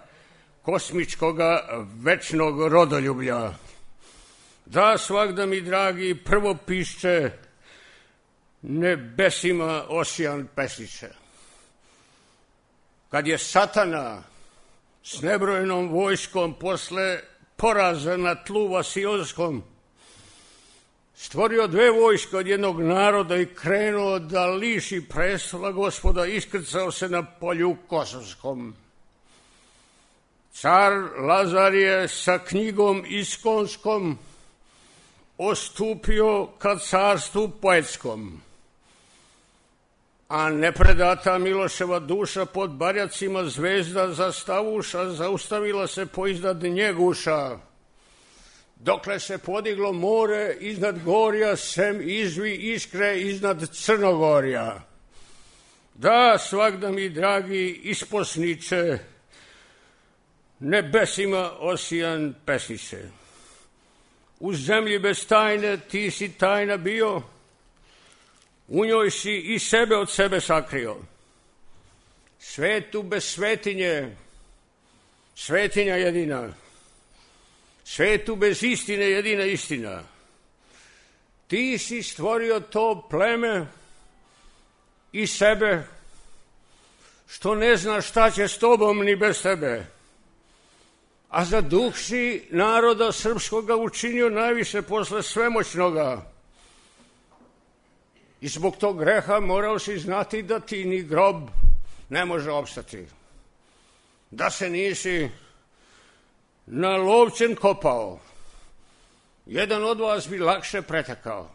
kosmičkoga večnog rodoljublja. Da, svakda mi, dragi, prvo pišće nebesima osijan pesniče. Kad je satana s nebrojenom vojskom posle poraza na tlu Vasionskom stvorio dve vojske od jednog naroda i krenuo da liši prestola Gospoda, iskrcao se na polju Kosovskom. Car Lazar je sa knjigom iskonskom ostupio ka carstvu poetskom, a nepredata Miloševa duša pod barjacima zvezda zastavuša zaustavila se poiznad njeguša, dokle se podiglo more iznad gorja, sem izvi iskre iznad Crnogorja. Da, svakda mi, dragi isposniče, nebesima osijan pesniče. U zemlji bez tajne ti si tajna bio, u njoj si i sebe od sebe sakrio. Svetu bez svetinje, svetinja jedina. Svetu bez istine, jedina istina. Ti si stvorio to pleme i sebe, što ne zna šta će s tobom ni bez tebe. A za duh si naroda srpskoga učinio najviše posle svemoćnoga. I zbog tog greha morao si znati da ti ni grob ne može opstati. Da se nisi na lovčen kopao, jedan od vas bi lakše pretekao.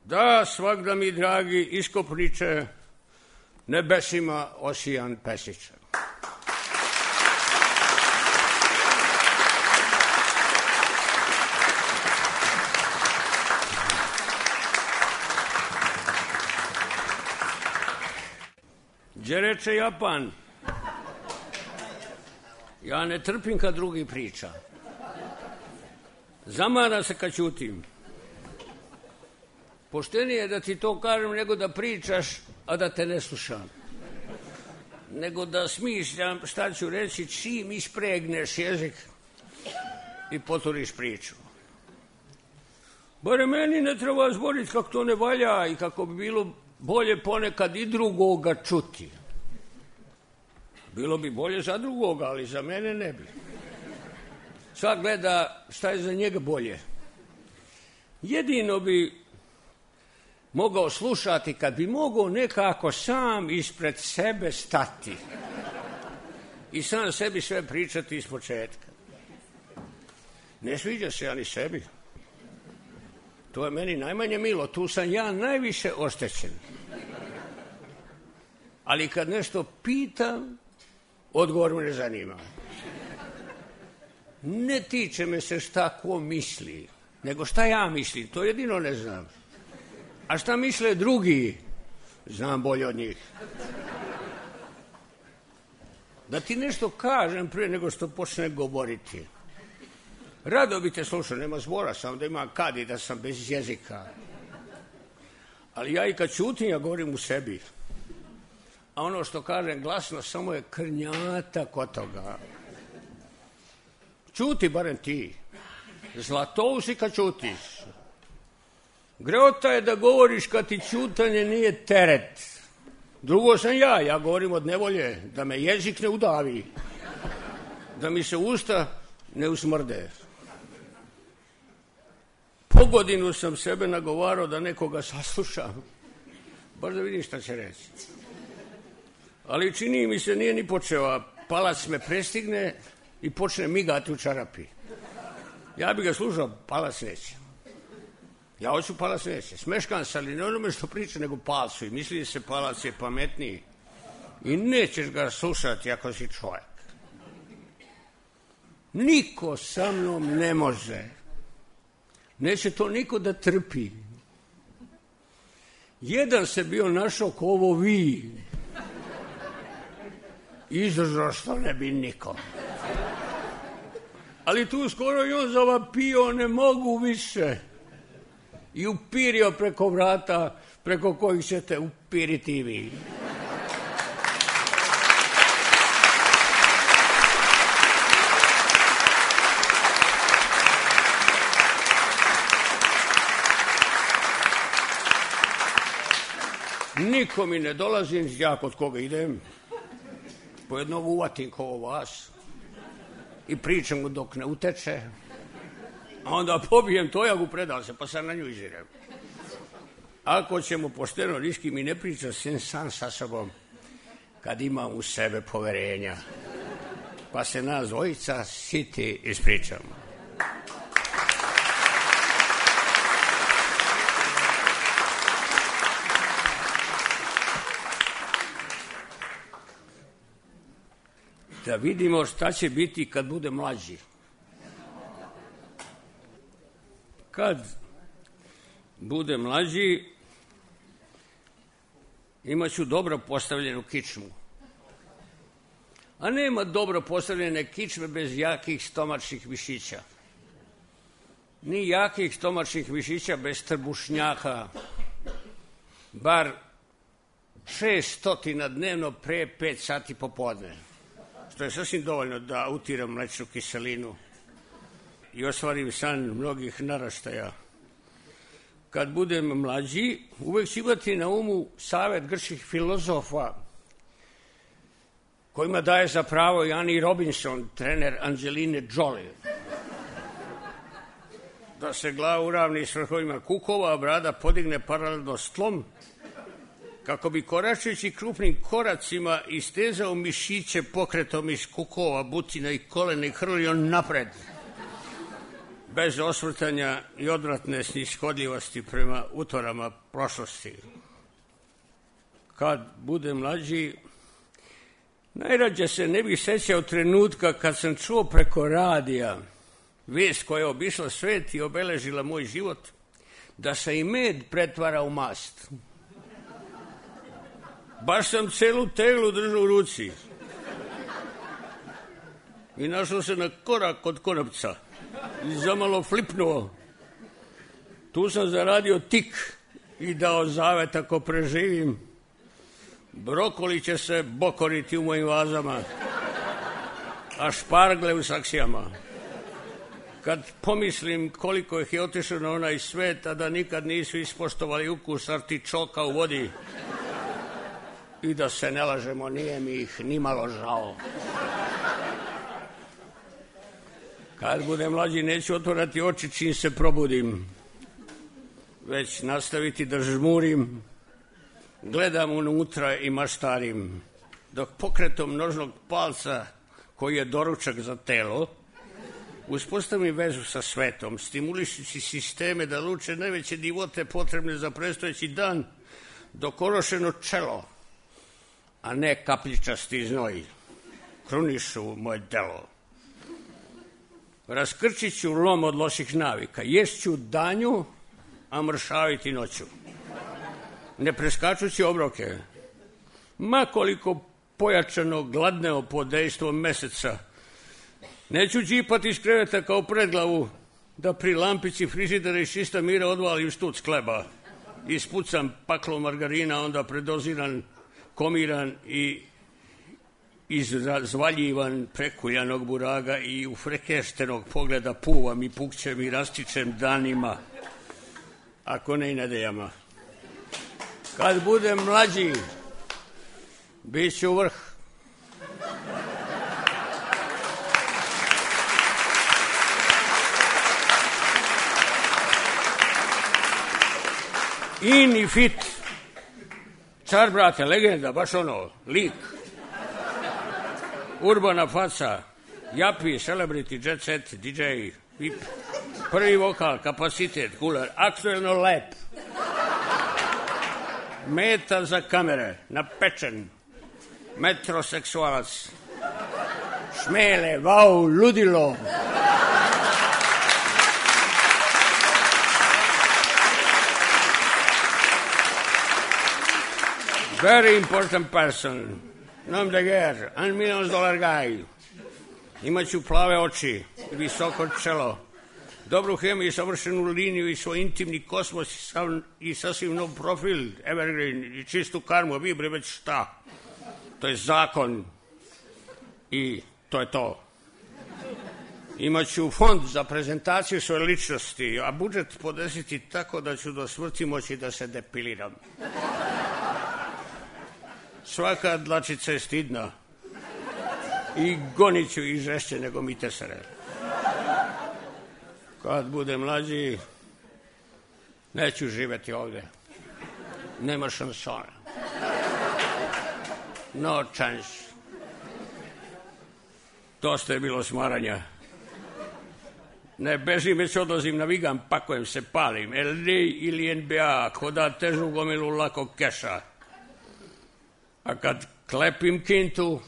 Da, svakda mi, dragi iskopniče, nebesima osijan pesniče. Gdje reče Japan? Ja ne trpim kad drugi priča. Zamara se kad ćutim. Poštenije je da ti to kažem nego da pričaš, a da te ne slušam. Nego da smišljam šta ću reći čim ispregneš jezik i poturiš priču. Bare meni ne treba zboriti kako to ne valja i kako bi bilo bolje ponekad i drugoga čuti. Bilo bi bolje za drugoga, ali za mene ne bi. Svak gleda šta je za njega bolje. Jedino bi mogao slušati kad bi mogao nekako sam ispred sebe stati i sam sebi sve pričati iz početka. Ne sviđa se ani sebi. To je meni najmanje milo, tu sam ja najviše oštećen. Ali kad nešto pitam, odgovor me ne zanima. Ne tiče me se šta ko misli, nego šta ja mislim, to jedino ne znam. A šta misle drugi, znam bolje od njih. Da ti nešto kažem prije nego što počne govoriti. Rado bi te slušao, nema zbora, samo da imam kad i da sam bez jezika. Ali ja i kad čutim, ja govorim u sebi. A ono što kažem glasno, samo je krnjata kod toga. Čuti barem ti. Zlatousi kad čutiš. Greota je da govoriš kad ti čutanje nije teret. Drugo sam ja, ja govorim od nevolje, da me jezik ne udavi, da mi se usta ne usmrde. Po godinu sam sebe nagovarao da nekoga saslušam, baš da vidim šta će reći. Ali čini mi se nije ni počeo, a palac me prestigne i počne migati u čarapi. Ja bi ga slušao, palac neće. Ja hoću palac neće. Smeškan se, ali ne onome što priča, nego palcu. I misli se palac je pametniji. I nećeš ga slušati ako si čovjek. Niko sa mnom ne može. Neće to niko da trpi. Jedan se bio našao ko ovo vi. Izdržao što ne bi niko. Ali tu skoro i on zavapio, ne mogu više. I upirio preko vrata preko kojih ćete upiriti i vi. Niko mi ne dolazi, ja kod koga idem, po jednog uvatim kao vas i pričam mu dok ne uteče, a onda pobijem tojagu, predao se, pa sam na nju izirem. Ako ćemo pošteno, niški mi ne priča sem sam sa sobom, kad imam u sebe poverenja, pa se nas dvojica siti ispričamo. Da vidimo šta će biti kad bude mlađi. Kad bude mlađi, imat ću dobro postavljenu kičmu. A nema dobro postavljene kičme bez jakih stomačnih mišića. Ni jakih stomačnih mišića bez trbušnjaka. Bar šest stotina dnevno pre pet sati popodne. Što je sasvim dovoljno da utiram mlečnu kiselinu i ostvarim san mnogih naraštaja. Kad budem mlađi, uvek ću imati na umu savet grčkih filozofa, kojima daje za pravo i Annie Robinson, trener Angeline Jolie. Da se glava uravni s vrhovima kukova, a brada podigne paralelno s tlom, kako bi koračujući krupnim koracima istezao mišiće pokretom iz kukova, butina i kolena i hrlio napred, bez osvrtanja i odvratne snishodljivosti prema utvarama prošlosti. Kad bude mlađi, najrađe se ne bih sećao trenutka kad sam čuo preko radija vest koja je obišla svet i obeležila moj život, da se i med pretvara u mast. Baš sam celu teglu držao u ruci i našao se na korak od konopca i zamalo flipnuo. Tu sam zaradio tik i dao zavet ako preživim. Brokoli će se bokoriti u mojim vazama, a špargle u saksijama. Kad pomislim koliko ih je otišlo na onaj svet, a da nikad nisu ispoštovali ukus artičoka u vodi, i da se ne lažemo, nije mi ih ni malo žao. Kad budem mlađi, neću otvorati oči čim se probudim, već nastaviti da žmurim, gledam unutra i maštarim, dok pokretom nožnog palca, koji je doručak za telo, uspostavim vezu sa svetom, stimulišući sisteme da luče najveće divote potrebne za predstojeći dan, dok orošeno čelo, a ne kapljičasti znoj, krunišu moje delo. Raskrčit ću lom od loših navika, ješću danju, a mršaviti noću, ne preskačući obroke, makoliko pojačano gladneo pod dejstvom meseca. Neću džipati iz kreveta kao predglavu, da pri lampici frižidera iz čista mira odvalim štuc kleba, ispucam paklo margarina, onda predoziran, komiran i izvaljivan prekuljanog buraga i u frekeštenog pogleda puvam i pukćem i rastičem danima, ako ne i nedeljama. Kad budem mlađi, Biću vrh. In i fit. Car, brate, legenda, baš ono, lik. Urbana faca, japi, celebrity, jet set, D J, vip. Prvi vokal, kapacitet, kuler, aktuelno lep. Meta za kamere, napečen. Metroseksualac. Šmele, vau, ludilo. Very important person. Nom de guerre, un millions dolar guy. Imaću plave oči, visoko čelo, dobru hemiju i savršenu liniju i svoj intimni kosmos i, sam, i sasvim nov profil, evergreen i čistu karmu, vi bre već šta. To je zakon i to je to. Imaću fond za prezentaciju svoje ličnosti, a budžet podesiti tako da ću do smrti moći da se depiliram. Svaka dlačica je stidna i gonit ću i žešće nego mi tesare. Kad bude mlađi, neću živeti ovde. Nema šansona. No chance. Dosta je bilo smaranja. Ne bežim, već odlazim na Vigan, pakujem se, palim. L A ili N B A, ko da težu gomilu lakog keša. A kad klepim kintu,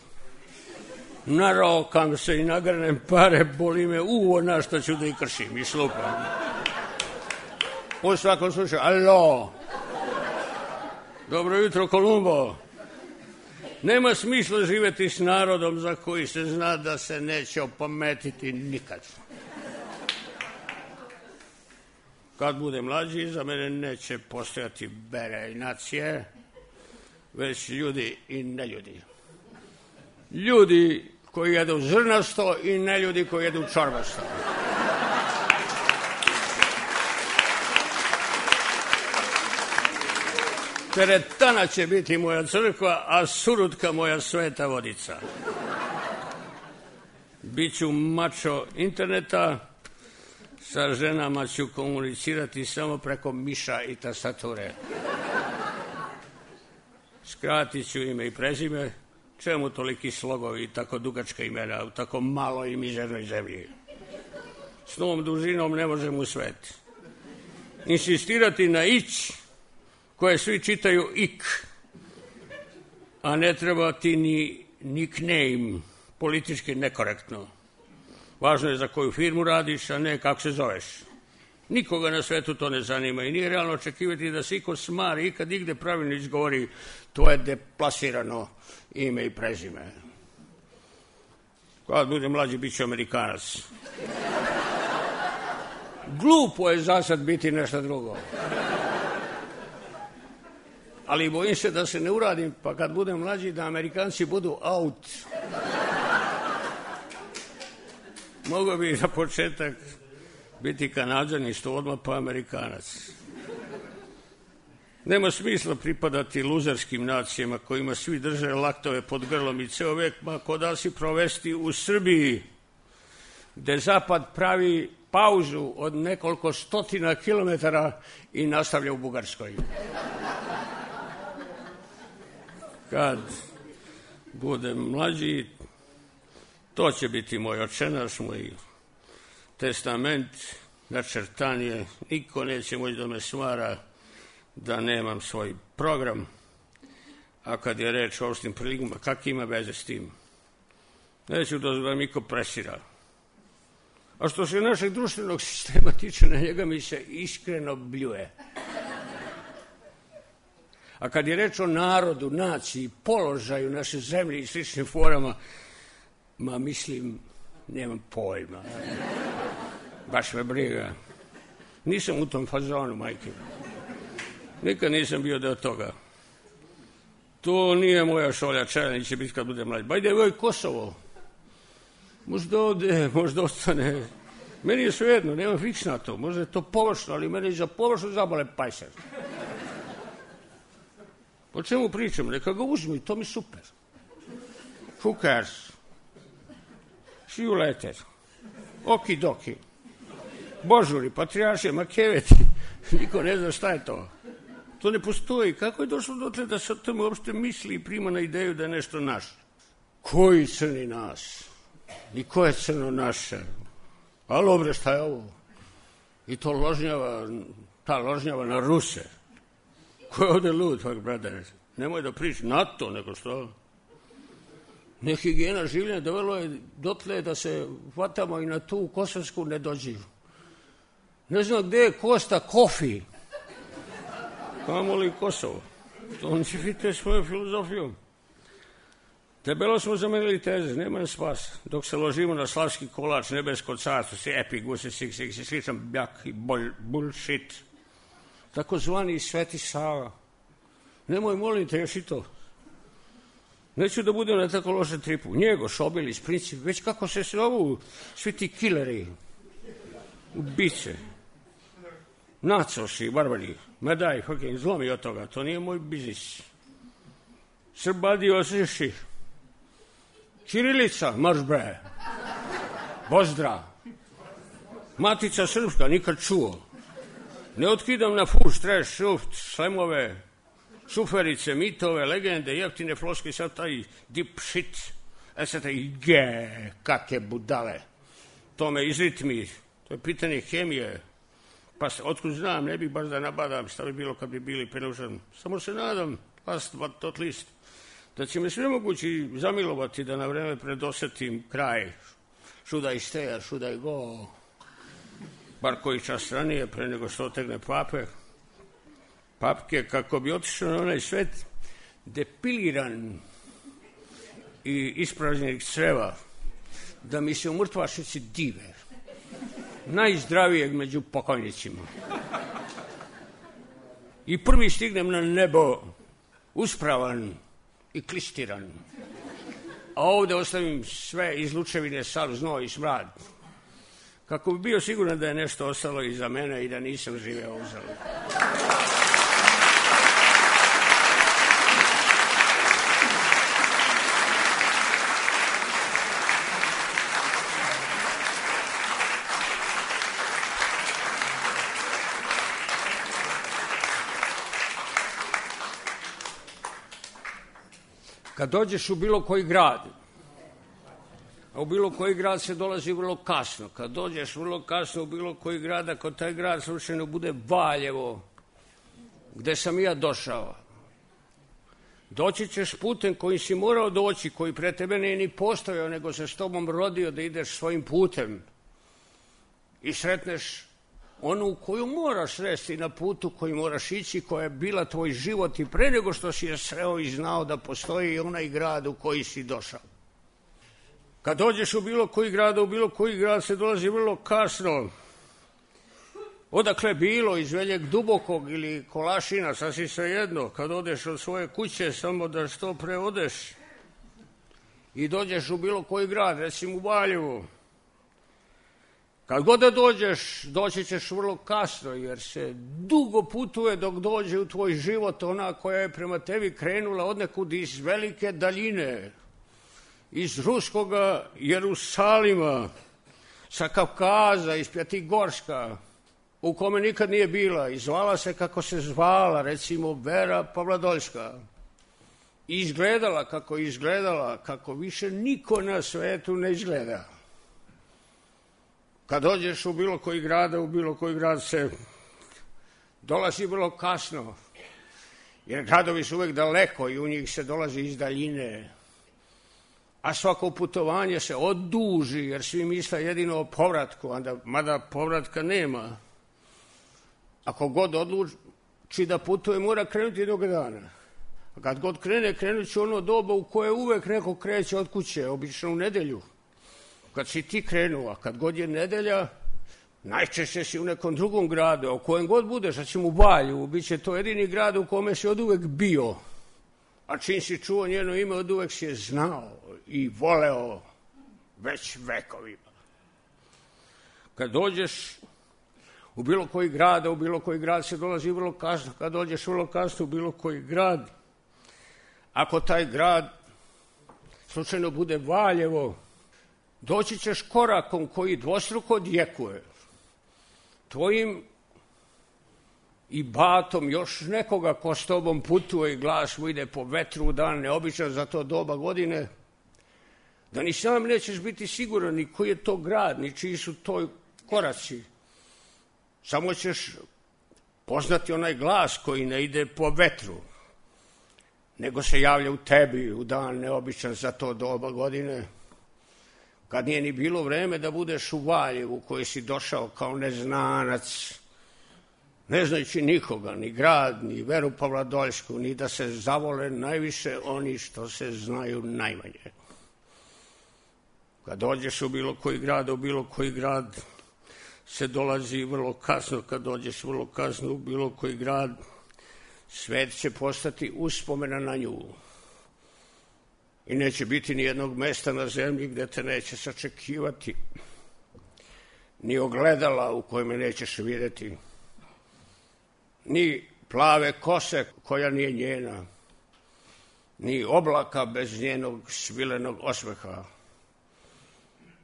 narokam se i nagrnem pare, boli me uvo na što ću da i kršim i slupam. U svakom slučaju, alo, dobro jutro Kolumbo. Nema smisla živeti s narodom za koji se zna da se neće opametiti nikad. Kad bude mlađi, za mene neće postojati bere i nacije, već ljudi i neljudi. Ljudi koji jedu zrnasto i neljudi koji jedu čorbasto. Teretana će biti moja crkva, a Surutka moja sveta vodica. Biću mačo interneta, sa ženama ću komunicirati samo preko miša i tastature. Skratit ću ime i prezime, čemu toliki slogovi i tako dugačka imena u tako maloj i mizernoj zemlji. S novom dužinom ne možem u svet. Insistirati na ić, koje svi čitaju ik, a ne treba ti ni nickname, politički nekorektno. Važno je za koju firmu radiš, a ne kako se zoveš. Nikoga na svetu to ne zanima i nije realno očekivati da se iko smari i kad igde pravilno izgovori to je deplasirano ime i prezime. Kad bude mlađi, bit ću Amerikanac. Glupo je za sad biti nešto drugo. Ali bojim se da se ne uradim, pa kad budem mlađi da Amerikanci budu out. Mogao bi za početak biti Kanađan isto odmah pa Amerikanac. Nema smisla pripadati luzerskim nacijama kojima svi drže laktove pod grlom i ceo vek ma ko da si provesti u Srbiji, gde Zapad pravi pauzu od nekoliko stotina kilometara i nastavlja u Bugarskoj. Kad budem mlađi, to će biti moj očenaš, moj testament, načrtanje, niko neće moći da me smara da nemam svoj program, a kad je reč o opštim prilikama, kak ima veze s tim? Neću da vam niko presira. A što se našeg društvenog sistema tiče, na njega mi se iskreno bljuje. A kad je reč o narodu, naciji, položaju naše zemlje i sličnim forama, ma mislim, nemam pojma. Baš me briga. Nisam u tom fazonu, majke. Nikad nisam bio deo toga. To nije moja šolja, Čelenić će biti kad bude mlađi. Bajde, evo je Kosovo. Možda ode, možda ostane. Meni je svejedno, nemam fiks na to. Možda je to površno, ali meni je za površno zabole pajser. O čemu pričam? Neka ga uzmu i to mi super. Who cares? See you later. Oki doki. Božuri, patrijarše, makeveti. Niko ne zna šta je to. To ne postoji. Kako je došlo dotle da se o tome uopšte misli i prima na ideju da je nešto naš? Koji crni nas? I ko je crno naše? Alo bre, šta je ovo? I to ložnjava, ta ložnjava na Ruse. Ko je ovde lud, fak, brate? Nemoj da priči na to, nego što... Nehigijena življenja dovelo je dotle da se hvatamo i na tu kosovsku nedođiju. Ne znam gde je Kosta Kofi. Kamo li Kosovo? To ne ćete svojom filozofijom. Debelo smo zamenili teze, nema spas. Dok se ložimo na slavski kolač, nebesko carstvo, si epi, gusi, sik, sik, si sličan bjak i bullshit. Tako zvani Sveti Sava. Nemoj, molim te, još i to. Neću da budem na tako lošem tripu. Njegoš, Obilić, Princip, već kako se zovu svi ti killeri, ubice, nacoši, barbari. Ma daj, fucking, zlomi od toga, to nije moj biznis. Srbadi osješi. Ćirilica, marš bre. Bozdra. Matica srpska, nikad čuo. Ne otkidam na fuš, treš, šuft, slemove, šuferice, mitove, legende, jeftine floske, sad taj deep shit. E sad taj ge, kakve budale. To me izritmi, to je pitanje hemije. Pa otkud znam, ne bih baš da nabadam šta bi bilo kad bi bili prenužan. Samo se nadam, last but not least, da će me sve mogući zamilovati da na vreme predosetim kraj. Should I stay, should I go? Bar koji čas ranije, pre nego što otegne pape. Papke, kako bi otišao na onaj svet depiliran i ispražnjenih creva, da mi se u mrtvačnici dive. Najzdravijeg među pokojnicima. I prvi stignem na nebo uspravan i klistiran. A ovde ostavim sve izlučevine, sav znoj i smrad. Kako bi bio siguran da je nešto ostalo iza mene i da nisam živeo uzalud. Kad dođeš u bilo koji grad, a u bilo koji grad se dolazi vrlo kasno, kad dođeš vrlo kasno u bilo koji grad, ako taj grad slučajno bude Valjevo, gde sam ja došao, doći ćeš putem kojim si morao doći, koji pre tebe nije ni postojao, nego se s tobom rodio da ideš svojim putem i sretneš onu koju moraš sresti na putu koji moraš ići, koja je bila tvoj život i pre nego što si je sreo i znao da postoji onaj grad u koji si došao. Kad dođeš u bilo koji grad, u bilo koji grad se dolazi vrlo kasno. Odakle bilo, iz Veljeg Dubokog ili Kolašina, sasvim svejedno. Kad odeš od svoje kuće, samo da što pre odeš i dođeš u bilo koji grad, recimo u Valjevu. Kad god da dođeš, doći ćeš vrlo kasno, jer se dugo putuje dok dođe u tvoj život ona koja je prema tebi krenula odnekud iz velike daljine, iz ruskoga Jerusalima, sa Kavkaza, iz Pjatigorska, u kome nikad nije bila i zvala se kako se zvala, recimo Vera Pavladoljska. I izgledala kako je izgledala, kako više niko na svetu ne izgleda. Kad dođeš u bilo koji grad, u bilo koji grad se dolazi vrlo kasno, jer gradovi su uvek daleko i u njih se dolazi iz daljine. A svako putovanje se oduži, jer svi misle jedino o povratku, mada povratka nema. Ako god odluči da putuje, mora krenuti jednog dana. A kad god krene, krenut će ono doba u koje uvek neko kreće od kuće, obično u nedelju. Kad si ti krenuo, a kad god je nedelja, najčešće si u nekom drugom gradu, a u kojem god budeš, a ćemo u Valju, bit će to jedini grad u kome si od uvek bio. A čim si čuo njeno ime, od uvek si je znao i voleo već vekovima. Kad dođeš u bilo koji grad, a u bilo koji grad se dolazi vrlo kasno, kad dođeš vrlo kasno u bilo koji grad, ako taj grad slučajno bude Valjevo, doći ćeš korakom koji dvostruko odjekuje. Tvojim i batom još nekoga ko s tobom putuje i glas mu ide po vetru u dan neobičan za to doba godine, da ni sam nećeš biti siguran ni koji je to grad, ni čiji su to koraci. Samo ćeš poznati onaj glas koji ne ide po vetru, nego se javlja u tebi u dan neobičan za to doba godine, kad nije ni bilo vreme da budeš u Valjevu koji si došao kao neznanac, ne znajući nikoga, ni grad, ni veru Pavladoljsku, ni da se zavole najviše oni što se znaju najmanje. Kad dođeš u bilo koji grad, u bilo koji grad se dolazi vrlo kasno, kad dođeš vrlo kasno u bilo koji grad, svet će postati uspomena na nju. I neće biti ni jednog mesta na zemlji gde te neće sačekivati, ni ogledala u kojima nećeš vidjeti, ni plave kose koja nije njena, ni oblaka bez njenog svilenog osmeha.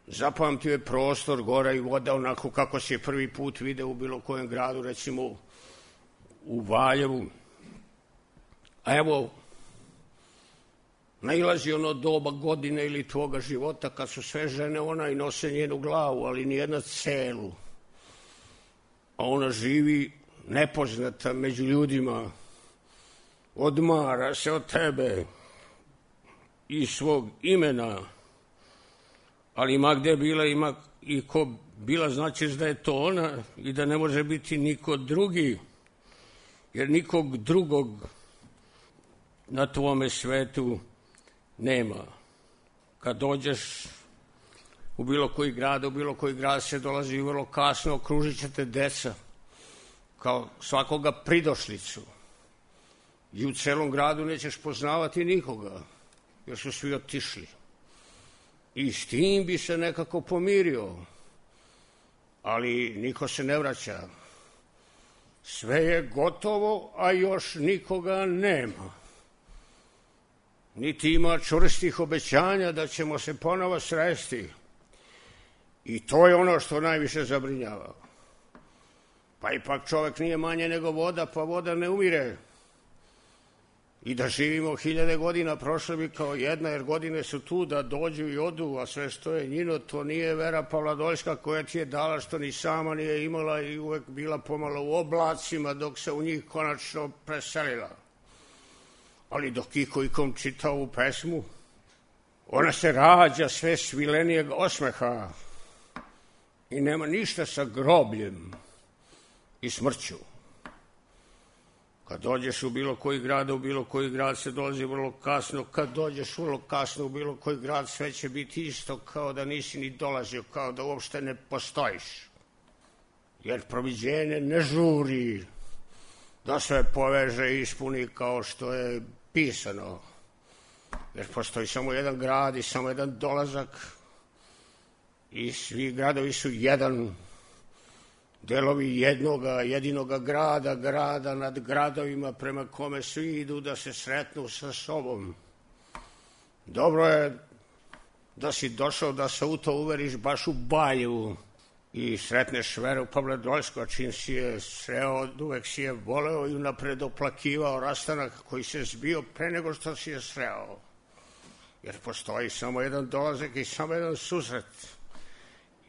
Zapamtio je prostor, gora i voda onako kako si je prvi put video u bilo kojem gradu, recimo u Valjevu. A evo, nailazi ono doba godine ili tvoga života kad su sve žene ona i nose njenu glavu, ali nijedna celu. A ona živi nepoznata među ljudima, odmara se od tebe i svog imena, ali ima gde bila, ima i ko bila, znači da je to ona i da ne može biti niko drugi, jer nikog drugog na tvome svetu nema. Kad dođeš u bilo koji grad, u bilo koji grad se dolazi vrlo kasno, okružit će te deca, kao svakoga pridošlicu. I u celom gradu nećeš poznavati nikoga, jer su svi otišli. I s tim bi se nekako pomirio, ali niko se ne vraća. Sve je gotovo, a još nikoga nema. Niti ima čvrstih obećanja da ćemo se ponovo sresti. I to je ono što najviše zabrinjava. Pa ipak čovek nije manje nego voda, pa voda ne umire. I da živimo hiljade godina prošle bi kao jedna, jer godine su tu da dođu i odu, a sve što je njino, to nije vera Pavladoljska koja ti je dala, što ni sama nije imala i uvek bila pomalo u oblacima dok se u njih konačno preselila. Ali dok iko ikom čita ovu pesmu, ona se rađa sve svilenijeg osmeha i nema ništa sa grobljem i smrću. Kad dođeš u bilo koji grad, u bilo koji grad se dolazi vrlo kasno. Kad dođeš vrlo kasno u bilo koji grad, sve će biti isto kao da nisi ni dolazio, kao da uopšte ne postojiš. Jer proviđenje ne žuri da sve poveže i ispuni kao što je pisano. Jer postoji samo jedan grad i samo jedan dolazak i svi gradovi su jedan, delovi jednoga, jedinoga grada, grada nad gradovima prema kome svi idu da se sretnu sa sobom. Dobro je da si došao da se u to uveriš baš u Valjevu i sretneš veru Pavladoljsku, a čim si je sreo, uvek si je voleo i unapred oplakivao rastanak koji se zbio pre nego što si je sreo. Jer postoji samo jedan dolazak i samo jedan susret.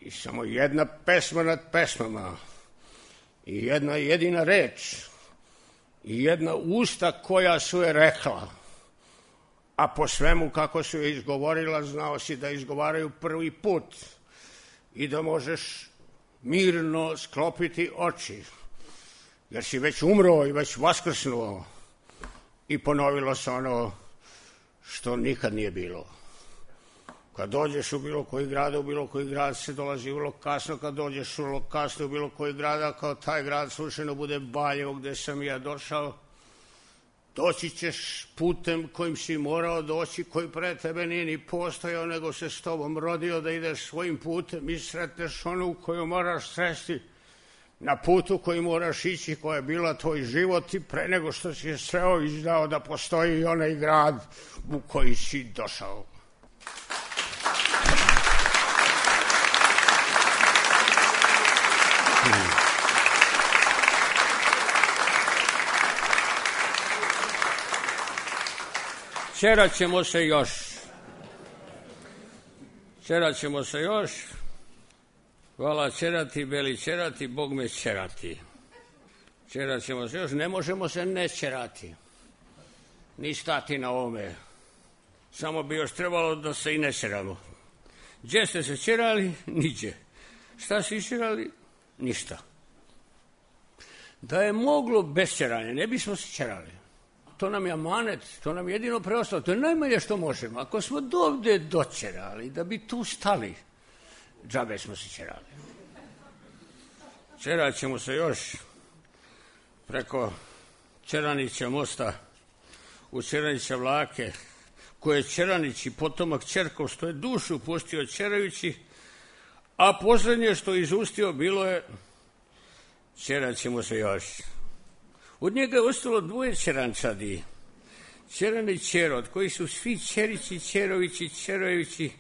I samo jedna pesma nad pesmama, i jedna jedina reč, i jedna usta koja su je rekla, a po svemu kako su je izgovorila, znao si da izgovaraju prvi put i da možeš mirno sklopiti oči, jer si već umro i već vaskrsnuo i ponovilo se ono što nikad nije bilo. Kad dođeš u bilo koji grad, u bilo koji grad se dolazi vrlo kasno, kad dođeš vrlo kasno u bilo koji grad, kao taj grad slučajno bude Valjevo gde sam ja došao, doći ćeš putem kojim si morao doći, koji pre tebe nije ni postojao, nego se s tobom rodio da ideš svojim putem i sretneš onu koju moraš sresti, na putu koji moraš ići, koja je bila tvoj život i pre nego što si je sreo i znao da postoji onaj grad u koji si došao. Čerat ćemo se još. Čerat ćemo se još. Hvala čerati, beli čerati, Bog me čerati. Čerat ćemo se još, ne možemo se ne čerati. Ni stati na ovome. Samo bi još trebalo da se i ne čeramo. Gdje ste se čerali? Niđe. Šta si čerali? Ništa. Da je moglo bez čeranja, ne bismo se čerali. To nam je amanet, to nam je jedino preostalo. To je najmanje što možemo. Ako smo dovde dočerali, da bi tu stali, džabe smo se čerali. Čerat ćemo se još preko Čeranića mosta u Čeranića vlake, koje je Čeranić i potomak Čerkov, što je dušu pustio čerajući, a posljednje što izustio bilo je čerat ćemo se još. Od njega je ostalo dvoje čerančadi, Čeran i Čerod, koji su svi Čerići, Čerovići, Čerojevići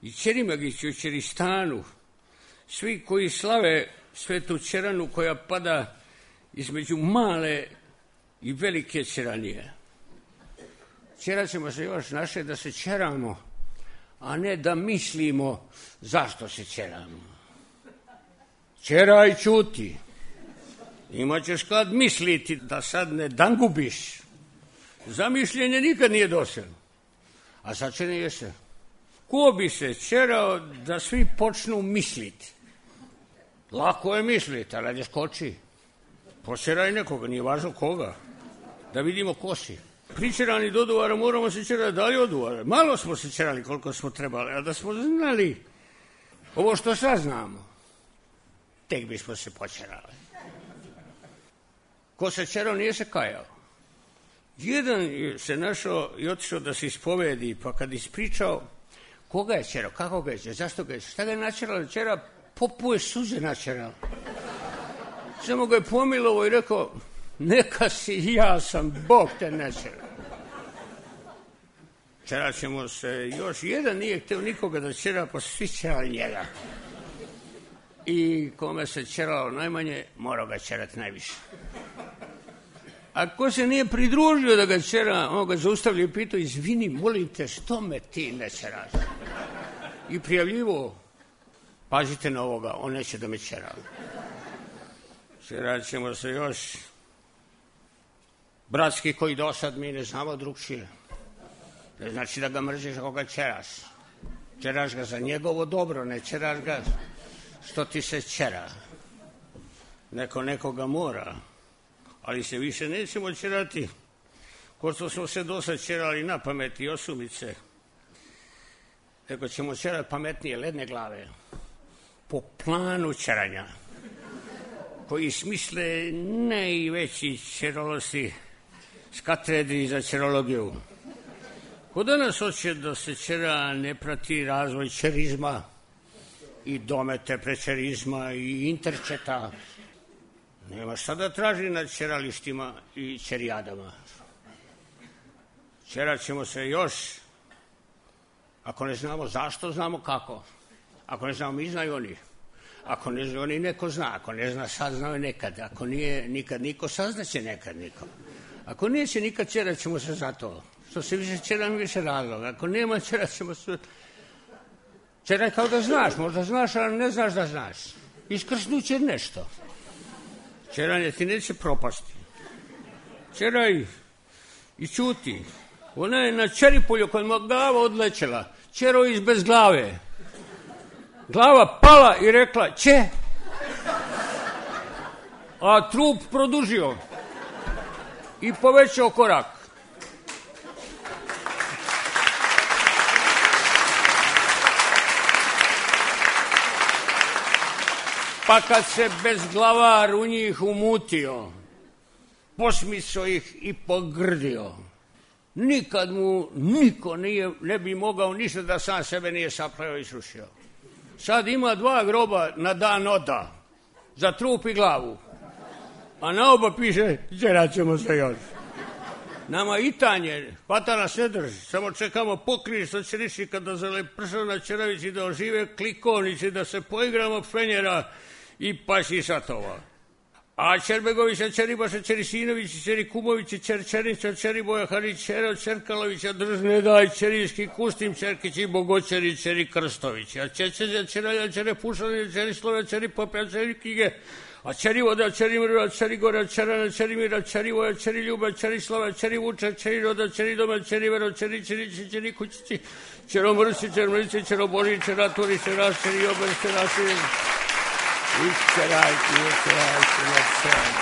i Čerimagići u Čeristanu, svi koji slave svetu Čeranu koja pada između male i velike Čeranije. Čerat ćemo se još naše da se čeramo, a ne da mislimo zašto se čeramo. Čeraj, ćuti. Imaćeš kad misliti da sad ne dangubiš. Zamišljenje nikad nije dosadno. A sad će nije se. Ko bi se čerao da svi počnu misliti? Lako je misliti, ali ajde skoči. Počeraj nekoga, nije važno koga. Da vidimo ko si. Pričerani do Duvara, moramo se čerati dalje od Duvara. Malo smo se čerali koliko smo trebali, a da smo znali ovo što sad znamo, tek bismo se počerali. Ko se čerao nije se kajao. Jedan se našao i otišao da se ispovedi, pa kad ispričao koga je čerao, kako ga je čerao, zašto ga je čerao, šta ga je načeralo, čera, popuje suze načeralo. Samo ga je pomilovo i rekao, neka si, ja sam, Bog te načerao. Čerat ćemo se još, jedan nije hteo nikoga da čera, pa svi čerali njega. I kome se čeralo najmanje, morao ga čerati najviše. A ko se nije pridružio da ga čera, on ga zaustavlja i pitao, izvini, molim te, što me ti ne čeraš? I prijavljivo, pazite na ovoga, on neće da me čera. Čerat ćemo se još. Bratski koji do sad mi ne znamo drugčije. Ne znači da ga mrziš ako ga čeraš. Čeraš ga za njegovo dobro, ne čeraš ga što ti se čera. Neko nekoga mora. Ali se više nećemo čerati, ko što smo se do sad čerali na pamet i osumice. Nego ćemo čerati pametnije ledne glave, po planu čeranja, koji smisle najveći čerolosti s katedri za čerologiju. Ko danas hoće da se čera ne prati razvoj čerizma i domete prečerizma i interčeta, nema šta da traži na čeralištima i čerijadama. Čerat ćemo se još. Ako ne znamo zašto, znamo kako. Ako ne znamo, mi znaju oni. Ako ne znaju oni, neko zna. Ako ne zna, sad znaju nekad. Ako nije nikad niko, saznaće nekad niko. Ako neće nikad, čerat ćemo se za to. Što se više čeram, više razloga. Ako nema, čerat ćemo se... Čeraj kao da znaš. Možda znaš, ali ne znaš da znaš. Iskrsnuće nešto. Čeranje ti neće propasti. Čeraj i ćuti. Ona je na Čeripolju kod mu glava odlećela. Čerao iz bez glave. Glava pala i rekla će. A trup produžio. I povećao korak. Pa kad se bezglavar u njih umutio, posmiso ih i pogrdio. Nikad mu niko nije, ne bi mogao ništa da sam sebe nije sapleo i srušio. Sad ima dva groba na dan oda. za trup i glavu. A na oba piše, đerat ćemo se još. Nama i tanje, hvata nas ne drži, samo čekamo pokrije što će reći kada zalepršao na Čeravići da ožive klikovnici, da se poigramo fenjera i paši satova. A Čerbegovića, Čeribaša, Čerisinovića, Čeri Kumovića, Čer Černića, Čeri Boja Harićera, Čerkalovića, Držne daj, Čerijski Kustim, Čerkić i Bogoćeri, Čeri Krstović. A Čečeđa, Čeralja, Čere Pušalja, Čeri Slova, Čeri Popja, Čeri Kige, a Čeri Voda, Čeri Mrva, Čeri Gora, Čerana, Čeri Mira, Čeri Voja, Čeri Ljuba, Čeri Slava, Čeri Vuča, Čeri Roda, Čeri Doma, Čeri Vero, Čeri Čerići, Čeri Kućići, Čero Mrsi, Čer Mrsi, Čero Boži, Čeraturi, Čeras, Čeri Ober, Čerasi, i Čerajki, i Čerajki, i Čerajki.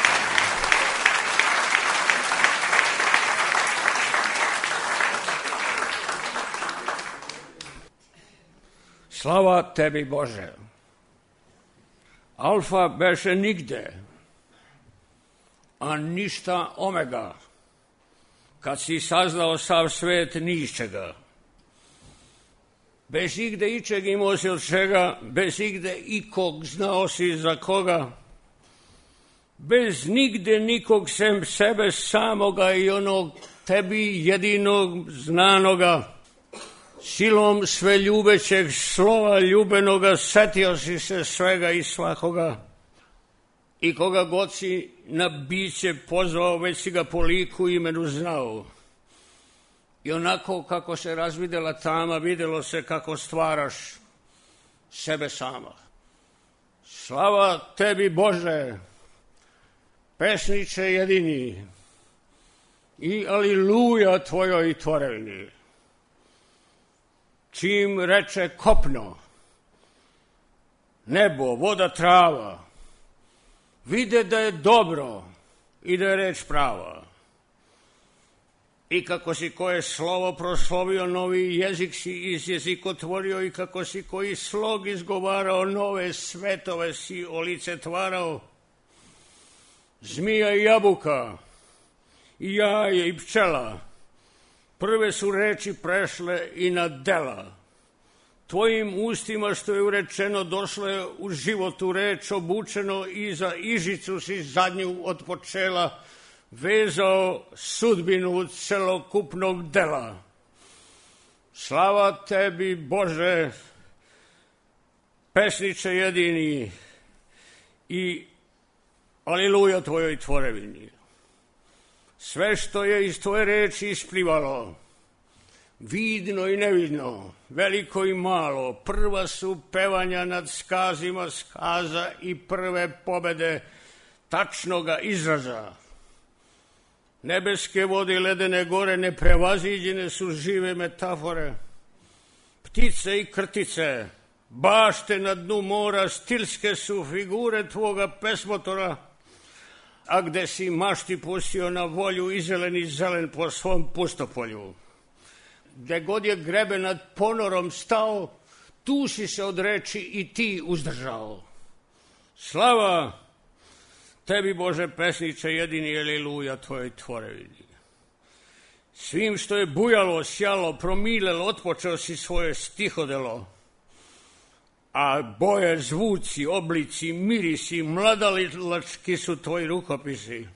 Slava tebi, Bože. Alfa beše nigde, a ništa omega, kad si saznao sav svet ničega. Bez igde ičeg imao si od čega, bez igde ikog znao si za koga, bez nigde nikog sem sebe samoga i onog tebi jedinog znanoga. Silom sve ljubećeg slova ljubenoga setio si se svega i svakoga i koga god si na biće pozvao, već si ga po liku imenu znao. I onako kako se razvidela tama, videlo se kako stvaraš sebe sama. Slava tebi, Bože, pesniče jedini, i aliluja tvojoj tvorevini. Čim reče kopno, nebo, voda, trava, vide da je dobro i da je reč prava. I kako si koje slovo proslovio, novi jezik si iz jezikotvorio, i kako si koji slog izgovarao, nove svetove si olicetvarao. Zmija i jabuka, i jaje i pčela, prve su reči prešle i na dela. Tvojim ustima što je urečeno došlo je u životu reč obučeno, i za ižicu si zadnju od počela vezao sudbinu celokupnog dela. Slava tebi, Bože, pesniče jedini, i aliluja tvojoj tvorevini. Sve što je iz tvoje reči isplivalo, vidno i nevidno, veliko i malo, prva su pevanja nad skazima skaza i prve pobede tačnoga izraza. Nebeske vode i ledene gore neprevaziđene su žive metafore. Ptice i krtice, bašte na dnu mora, stilske su figure tvoga pesmotora, a gde si mašti pustio na volju i zeleni zelen po svom pustopolju. Gde god je grebe nad ponorom stao, tu si se od reči i ti uzdržao. Slava tebi, Bože, pesniče jedini, aliluja tvojoj tvorevini. Svim što je bujalo, sjalo, promilelo, otpočeo si svoje stihodelo, a boje, zvuci, oblici, mirisi, mladalilački su tvoji rukopisi.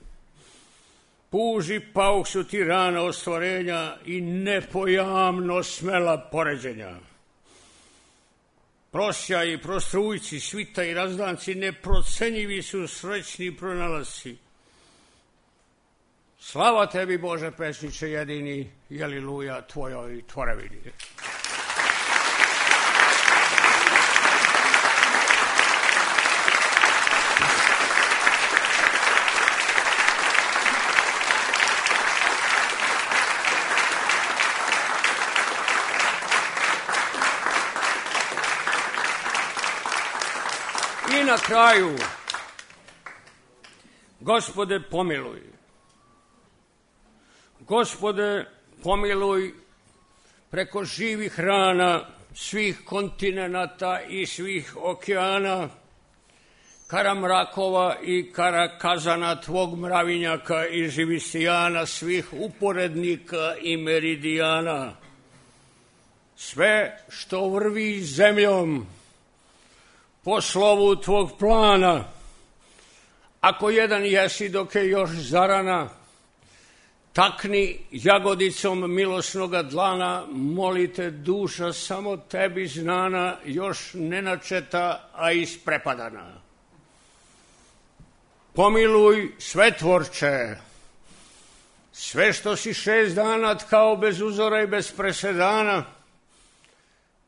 Puži pauh su ti rana ostvarenja i nepojamno smela poređenja. Prosjaj i prostrujci, svita i razdanci, neprocenjivi su srećni pronalasci. Slava tebi, Bože, pesniče jedini, i aliluja tvojoj tvorevini. I na kraju, Gospode, pomiluj. Gospode, pomiluj preko živih rana svih kontinenata i svih okeana, karamrakova i karakazana tvog mravinjaka i živistijana, svih uporednika i meridijana. Sve što vrvi zemljom po slovu tvog plana, Ako jedan jesi dok je još zarana, takni jagodicom milosnoga dlana, molite duša samo tebi znana, još nenačeta, a isprepadana. Pomiluj sve tvorče, sve što si šest dana tkao bez uzora i bez presedana,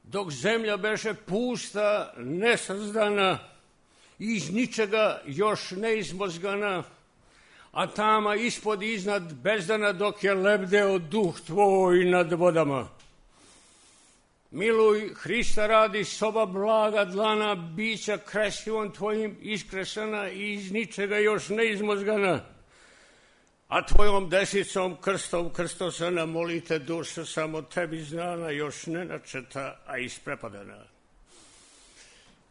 dok zemlja beše pusta, nesazdana, iz ničega još neizmozgana, a tama ispod iznad bezdana dok je lebdeo duh tvoj nad vodama. Miluj Hrista radi soba blaga dlana, bića kresivom tvojim iskresana i iz ničega još neizmozgana, a tvojom desicom krstom krstosana, molite duša samo tebi znana, još nenačeta, a isprepadana.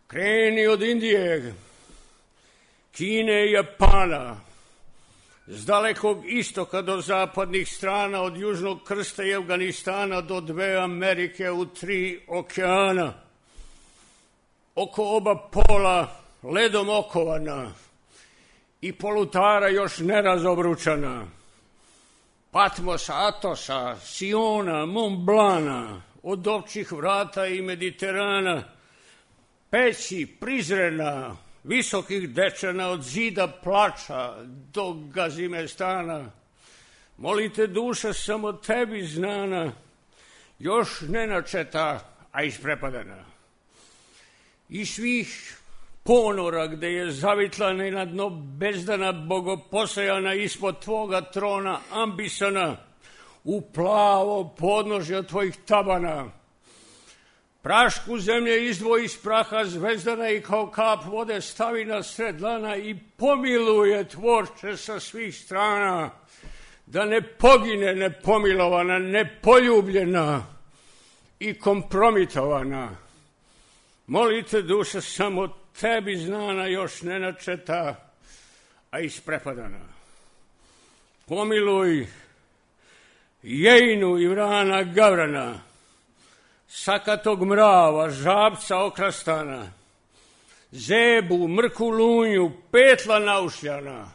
Kreni od Indije, Kine i Japana, s dalekog istoka do zapadnih strana, od južnog krsta i Afganistana do dve Amerike u tri okeana. Oko oba pola ledom okovana i polutara još nerazobručana. Patmosa, Atosa, Siona, Montblana, od općih vrata i Mediterana, peći Prizrena, visokih dečana, od zida plača do Gazimestana. Molite duša samo tebi znana, još nenačeta, a isprepadana. I svih ponora gde je zavitlana i na dno bezdana, bogoposejana ispod tvoga trona ambisana, u plavo podnožje od tvojih tabana. Prašku zemlje izdvoji iz praha zvezdana i kao kap vode stavi na sred dlana i pomiluje tvorče sa svih strana, da ne pogine nepomilovana, nepoljubljena i kompromitovana. Molite duša samo tebi znana, još nenačeta, a isprepadana. Pomiluj Jejnu i Vrana Gavrana, sakatog mrava, žabca okrastana, Zebu, Mrku Lunju, Petla naušljana,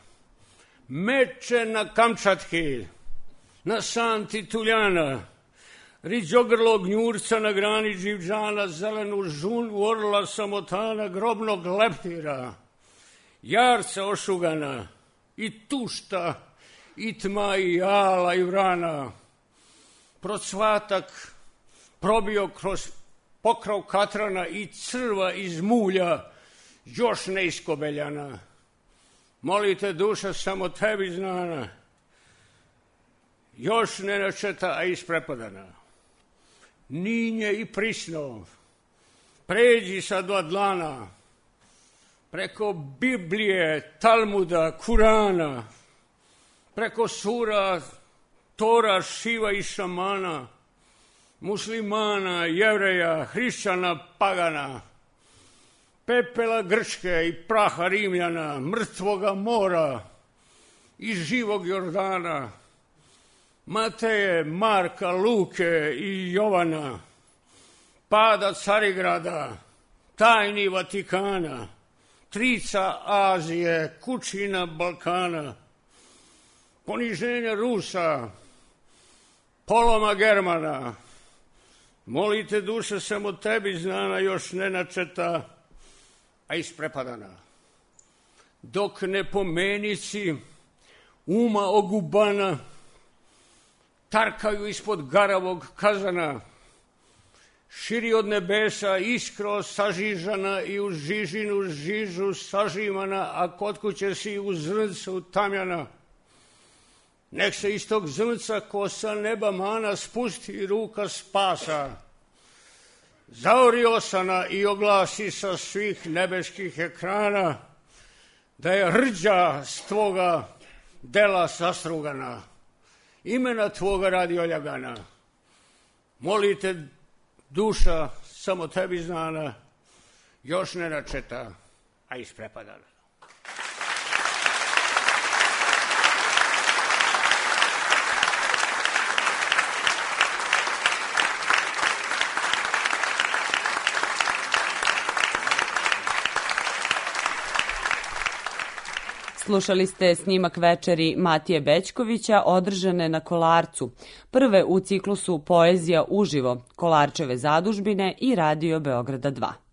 Meče na Kamčatki, na Santi Tuljana, riđogrlog gnjurca na grani Dživđana, zelenu žunu orla samotana, grobnog leptira, jarca ošugana, i tušta, i tma, i jala, i vrana, procvatak probio kroz pokrov katrana i crva iz mulja, još neiskobeljana. Molite duša samo tebi znana, još nenačeta, a isprepadana. Ninje i prisno, pređi sa dva dlana, preko Biblije, Talmuda, Kurana, preko sura, Tora, Šiva i šamana, muslimana, jevreja, hrišćana, pagana, pepela Grčke i praha Rimljana, mrtvoga mora i živog Jordana, Mateje, Marka, Luke i Jovana, pada Carigrada, tajni Vatikana, trica Azije, kućina Balkana, poniženja Rusa, poloma Germana. Molite duša samo tebi znana, još nenačeta, a isprepadana. Dok ne pomenici uma ogubana tarkaju ispod garavog kazana, širi od nebesa iskro sažižana i u žižinu žižu sažimana, a kod kuće si u zrncu tamjana. Nek se iz tog zrnca ko sa neba mana spusti ruka spasa, zaori osana i oglasi sa svih nebeskih ekrana da je rđa s tvoga dela sastrugana, imena tvoga radi oljagana. Molite duša samo tebi znana, još nenačeta, a isprepadana. Slušali ste snimak večeri Matije Bećkovića održane na Kolarcu, prve u ciklusu Poezija uživo, Kolarčeve zadužbine i Radio Beograda dva.